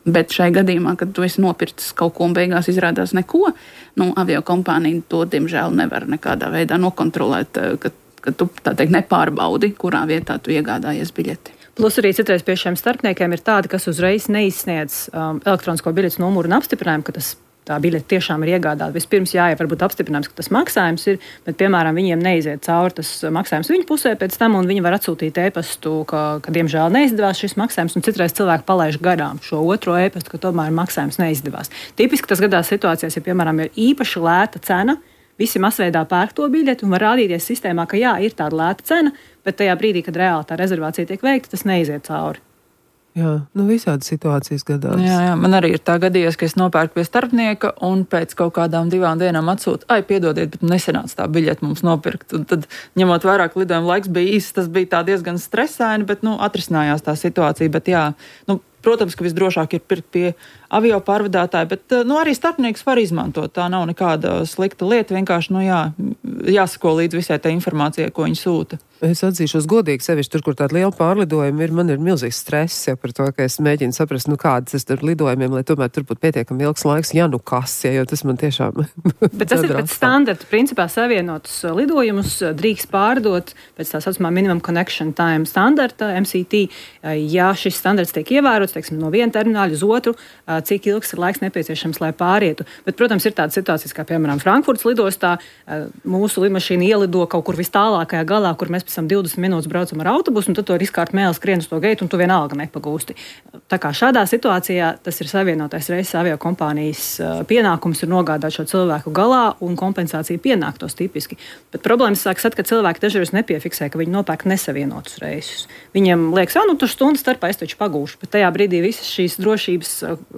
Bet šai gadījumā, kad tu esi nopircis kaut ko un beigās izrādās neko, nu, avio kompānija to, diemžēl, nevar nekādā veidā nokontrolēt, ka, ka tu, tā teikt, nepārbaudi, kurā vietā tu iegādājies biļeti. Plus arī citreiz pie šiem starpniekiem ir tādi, kas uzreiz neizsniedz um, elektronisko biļetes numuru un apstiprinājumu, ka tas, tā biļete tiešām ir iegādāta. Vispirms jā, ja varbūt apstiprinājums, ka tas maksājums ir, bet, piemēram, viņiem neiziet cauri tas maksājums viņu pusē pēc tam, un viņi var atsūtīt e-pastu, ka, ka diemžēl neizdevās šis maksājums, un citreiz cilvēki palaiž garām šo otro e-pastu, ka tomēr maksājums neizdevās. Tipiski tas gadās situācijās, ja, piemēram, ir īpaši lēta cena, visi masveidā pērk to biļeti un var rādīties sistēmā, ka jā, ir tāda lēta cena, bet tajā brīdī, kad reāli tā rezervācija tiek veikta, tas neiziet cauri. Jā, nu visādi situācijas gadās. Jā, jā, man arī ir tā gadījies, ka es nopērku pie starpnieka un pēc kaut kādām divām dienām atsūtu, ai, piedodiet, bet nesenāca tā biļete mums nopirkt. Un tad, ņemot vairāk lidojuma laiks bija īsts, tas bija tā diezgan stresaini, bet, nu, atrisinājās tā situācija, bet jā, nu, protams, ka visdrošāk ir pirkt pie avio pārvadātāja, bet, nu, arī starpnieks var izmantot. Tā nav nekāda slikta lieta, vienkārši, nu, jā, jāsako līdz visai tā informācijai, ko viņi sūta. Es atzīšos godīgi sevišķi tur, kur tāda liela pārlidojuma ir, man ir milzīgs stress ja, par to, ka es mēģinu saprast, nu kādas tas tur lidojumiem, lai tomēr tur būtu pietiekami ilgs laiks, ja nu kas, ja, jo tas man tiešām... Bet tas ir pēc standarta, principā savienotus lidojumus drīkst pārdot pēc tā saucamā minimum connection time standarta, M C T, ja šis standarts tiek ievērots, teiksim, no viena termināļa uz otru, cik ilgs ir laiks nepieciešams, lai pārietu. Bet, protams, ir tādas situācijas, kā piemēram Frankfurtas lidostā, mūsu lidmašīna ielido kaut kur vis tālākajā galā, kur mēs pēc tam divdesmit minūtes braucam ar autobusu, un tad to riskārt mēli skrien uz to geitu, un tu vienalga nepagūsti. Tā kā šādā situācijā tas ir savienotais reizes avio kompānijas pienākums ir nogādāt šo cilvēku galā, un kompensācija pienāktos tipiski. Bet problēmas sākas, kad cilvēki dažreiz nepiefiksē, ka viņi nopērk nesavienotus reisus. Viņiem liekas, ah, nu tur stundu starpā es taču pagūšu, bet tajā brīdī visas šīs drošības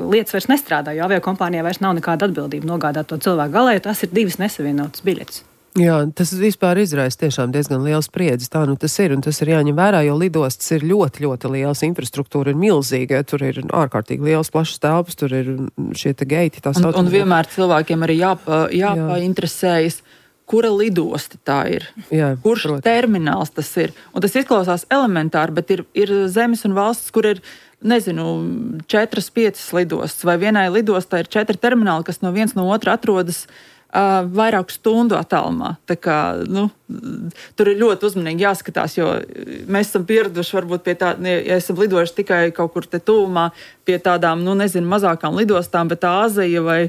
lietas vairs nestrādā, jo avio kompānijā vairs nav nekāda atbildība nogādāt to cilvēku galā, jo tas ir divas nesavienotas biļetes. Jā, tas vispār izraisa tiešām diezgan liels spriedzes. Tā nu tas ir, un tas ir jāņem vērā, jo lidostas ir ļoti, ļoti liels, infrastruktūra ir milzīga, tur ir ārkārtīgi liels, plašs telpas, tur ir šie te geiti. Un, un vienmēr cilvēkiem arī jāpa, jāpainteresējas, kura lidosta tā ir, Jā, kurš protams. Termināls tas ir. Un tas izklausās elementāri, bet ir, ir zemes un valsts, kur ir, nezinu, četras, piecas lidostas, vai vienai lidostā ir četri termināli, kas no viens no otra atrodas Uh, vairāku stundu attālumā. Tā kā, nu, tur ir ļoti uzmanīgi jāskatās, jo mēs esam pieraduši varbūt pie tā, ja esam lidojuši tikai kaut kur te tuvumā pie tādām, nu, nezinu, mazākām lidostām, bet Āzija vai,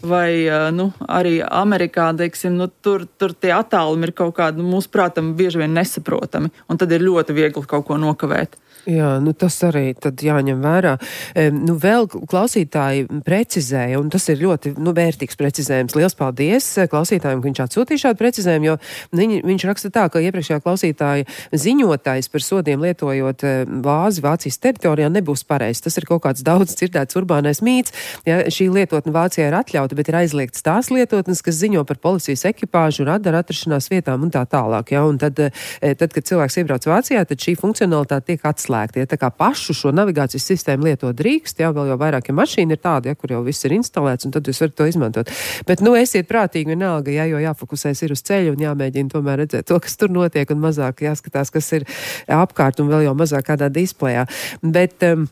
vai nu, arī Amerikā, teiksim, nu, tur, tur tie attālumi ir kaut kādi, nu, mūsu prātam bieži vien nesaprotami, un tad ir ļoti viegli kaut ko nokavēt. Jā, nu tas arī tad jāņem vērā. E, nu vēl klausītāji precizēja, un tas ir ļoti nu, vērtīgs precizējums. Liels paldies klausītājiem, ka viņš atsūtīja šādu precizējumu, jo viņi, viņš raksta tā, ka iepriekšējā klausītāja ziņotājs par sodiem lietojot vāzi Vācijas teritorijā nebūs pareizs. Tas ir kaut kāds daudz dzirdēts urbānais mīts. Ja, šī lietotne Vācijā ir atļauta, bet ir aizliegts tās lietotnes, kas ziņo par policijas ekipāžu, radaru atrašanās vietām un tā tālāk. Ja, un tad, tad, kad cilvēks iebrauc Vācijā, tad šī funkcionalitāte tiek atslēgta. Ja, tā kā pašu šo navigācijas sistēmu lietot drīkst, jā, vēl jau vairāk, ja mašīna ir tāda, ja, kur jau viss ir instalēts, un tad jūs varat to izmantot. Bet, nu, esiet prātīgi vienalga, ja, jo jāfokusēs ir uz ceļu un jāmēģina tomēr redzēt to, kas tur notiek, un mazāk jāskatās, kas ir apkārt, un vēl jau mazāk kādā displejā. Bet, um,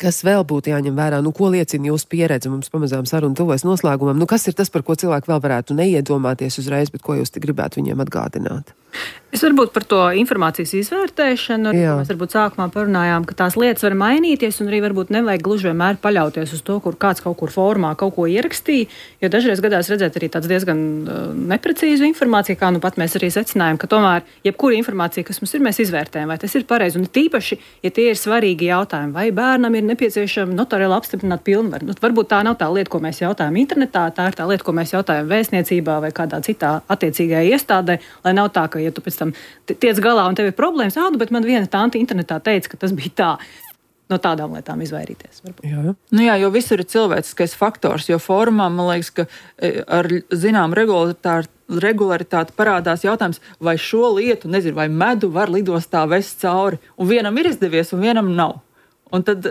kas vēl būtu jāņem vērā, nu, ko liecina jūsu pieredze, mums pamazām saruna tuvojas noslēgumam, nu, kas ir tas, par ko cilvēki vēl varētu neiedomāties uzreiz, bet ko jūs te gribētu viņiem atgādināt? Es varbūt par to informācijas izvērtēšanu, mēs varbūt sākumā parunājām, ka tās lietas var mainīties un arī varbūt nevajag gluži vienmēr paļauties uz to, kur kāds kaut kur formā kaut ko ierakstīja, jo dažreiz gadās redzēt arī tāds diezgan uh, neprecīzu informāciju, kā nu pat mēs arī secinājām, ka tomēr jebkura informācija, kas mums ir, mēs izvērtējam, vai tas ir pareizi. Un tīpaši, ja tie ir svarīgi jautājumi, vai bērnam ir nepieciešama notariāli apstiprināt pilnvaru. Nu, varbūt tā nav tā lieta, ko mēs jautājam internetā, tā ir tā lieta, ko mēs jautājam vēstniecībā vai kādā citā attiecīgajā iestādē, lai nav tā, ka ja tu pēc tam tiec galā un tev ir problēmas, ādu, bet man viena tanti internetā teica, ka tas bija tā. No tādām lietām izvairīties. Jā. Nu jā, jo visur ir cilvēciskais faktors, jo formā, man liekas, ka ar zinām regularitāti, regularitāti parādās jautājums, vai šo lietu, nezinu, vai medu var lidostā vest cauri, un vienam ir izdevies, un vienam nav. Un, tad,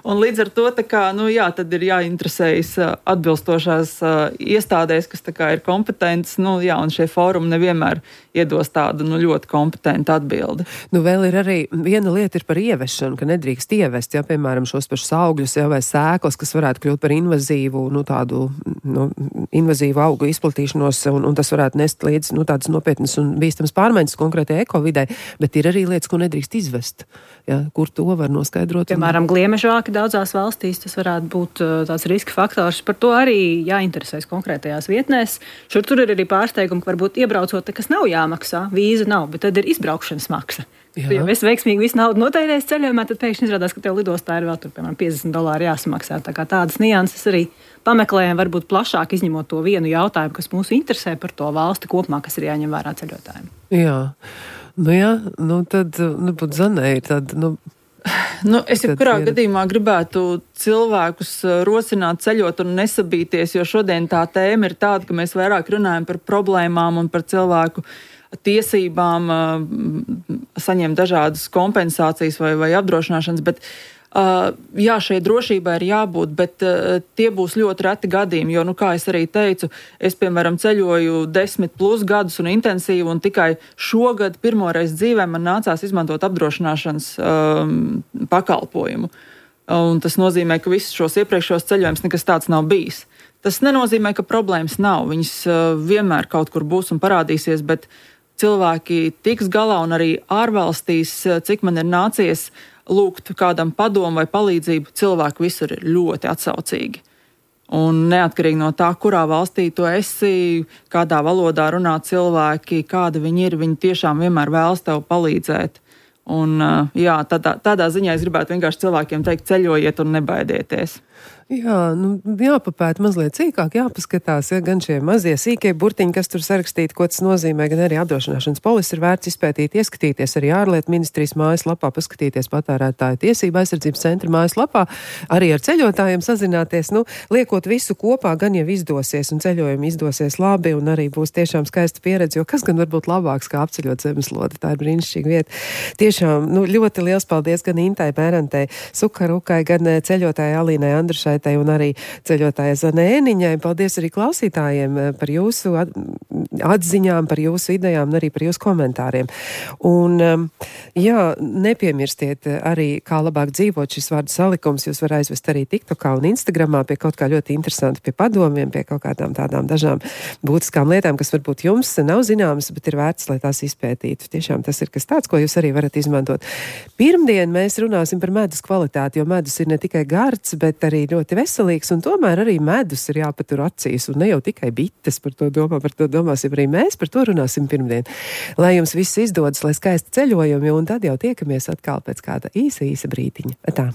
un līdz ar to tā kā, nu jā, tad ir jāinteresējas atbilstošās uh, iestādēs, kas tā kā ir kompetentas, nu jā, un šie fórumi nevienmēr iedos tādu nu, ļoti kompetentu atbildi. Nu vēl ir arī viena lieta ir par ievešanu, ka nedrīkst ievest, ja, piemēram, šos pašus augļus, ja, vai sēklas, kas varētu kļūt par invazīvu, nu tādu, nu, invazīvu augu izplatīšanos, un, un tas varētu nest līdz, nu, tādas nopietnas un bīstamas pārmaiņas konkrētajai ekovidai, bet ir arī lietas, ko nedrīkst izvest, ja, kur to var noskaidrot. Piemēram, gliemežvāki daudzās valstīs, tas varētu būt uh, tāds riska faktors. Par to arī jāinteresēs konkrētajās vietnēs. Šur tur ir arī pārsteigumi, ka varbūt iebraucot, kas nav jāmaksā, vīza nav, bet tad ir izbraukšanas maksa. Jā. Ja es veiksmīgi visu naudu notērēju ceļojumā, tad pēkšņi izrādās, ka tev lidostā ir vēl tur, piemēram, piecdesmit dolāri jāsamaksā. Tā kā tādas nianses arī pameklējam, varbūt plašāk izņemot to vienu jautājumu, kas mūs interesē par to valsti kopumā, kas ir jāņem vērā ceļotājiem. Jā, nu jā, nu tad, nu, būt Zanē ir tad, nu, Nu, es jebkurā gadījumā gribētu cilvēkus rosināt ceļot un nesabīties, jo šodien tā tēma ir tāda, ka mēs vairāk runājam par problēmām un par cilvēku tiesībām saņemt dažādas kompensācijas vai, vai apdrošināšanas, bet Uh, jā, šai drošībai ir jābūt, bet uh, tie būs ļoti reti gadījumi, jo, nu, kā es arī teicu, es, piemēram, ceļoju desmit plus gadus un intensīvi, un tikai šogad pirmoreiz dzīvē man nācās izmantot apdrošināšanas um, pakalpojumu. Un tas nozīmē, ka visus šos iepriekšos ceļojumus nekas tāds nav bijis. Tas nenozīmē, ka problēmas nav. Viņas uh, vienmēr kaut kur būs un parādīsies, bet cilvēki tiks galā un arī ārvalstīs, cik man ir nācies lūgt kādam padomu vai palīdzību, cilvēki visur ir ļoti atsaucīgi. Un neatkarīgi no tā, kurā valstī tu esi, kādā valodā runā cilvēki, kādi viņi ir, viņi tiešām vienmēr vēlas tev palīdzēt. Un jā, tādā, tādā ziņā es gribētu vienkārši cilvēkiem teikt, ceļojiet un nebaidieties. Jā, nu, jāpapēta mazliet sīkāk, jāpaskatās, ja, gan šie mazie sīkie burtiņi, kas tur sarakstīti, ko tas nozīmē, gan arī apdrošināšanas polisi ir vērts izpētīt, ieskatīties arī ārlietu ministrijas mājaslapā, paskatīties patērētāju tiesību aizsardzības centra mājaslapā, arī ar ceļotājiem sazināties, nu, liekot visu kopā, gan jau izdosies un ceļojumi izdosies labi un arī būs tiešām skaista pieredze, jo kas gan var būt labāks kā apceļot zemeslodi, tā ir brīnišķīga vieta. Tiešām, nu, ļoti liels paldies gan Intai Bērantei Sukarukai, gan ceļotāja Alīnai Andrušai un arī ceļotāja Zanēniņai. Paldies arī klausītājiem par jūsu atziņām, par jūsu idejām un arī par jūsu komentāriem. Un, jā, nepiemirstiet arī, kā labāk dzīvot šis vārdu salikums. Jūs var aizvest arī TikTokā un Instagramā pie kaut kā ļoti interesanti, pie padomiem, pie kaut kādām tādām dažām būtiskām lietām, kas varbūt jums nav zināmas, bet ir vērts, lai tās izpētītu. Tiešām tas ir kas tāds, ko jūs arī varat izmantot. Pirmdien mēs runāsim par medus kvalitāti, jo medus ir ne tikai gards, bet arī ļoti veselīgs, un tomēr arī medus ir jāpatur acīs, un ne jau tikai bites par to domā, par to domāsim arī mēs, par to runāsim pirmdien. Lai jums viss izdodas, lai skaisti ceļojumi, un tad jau tiekamies atkal pēc kāda īsa, īsa brītiņa. Tā.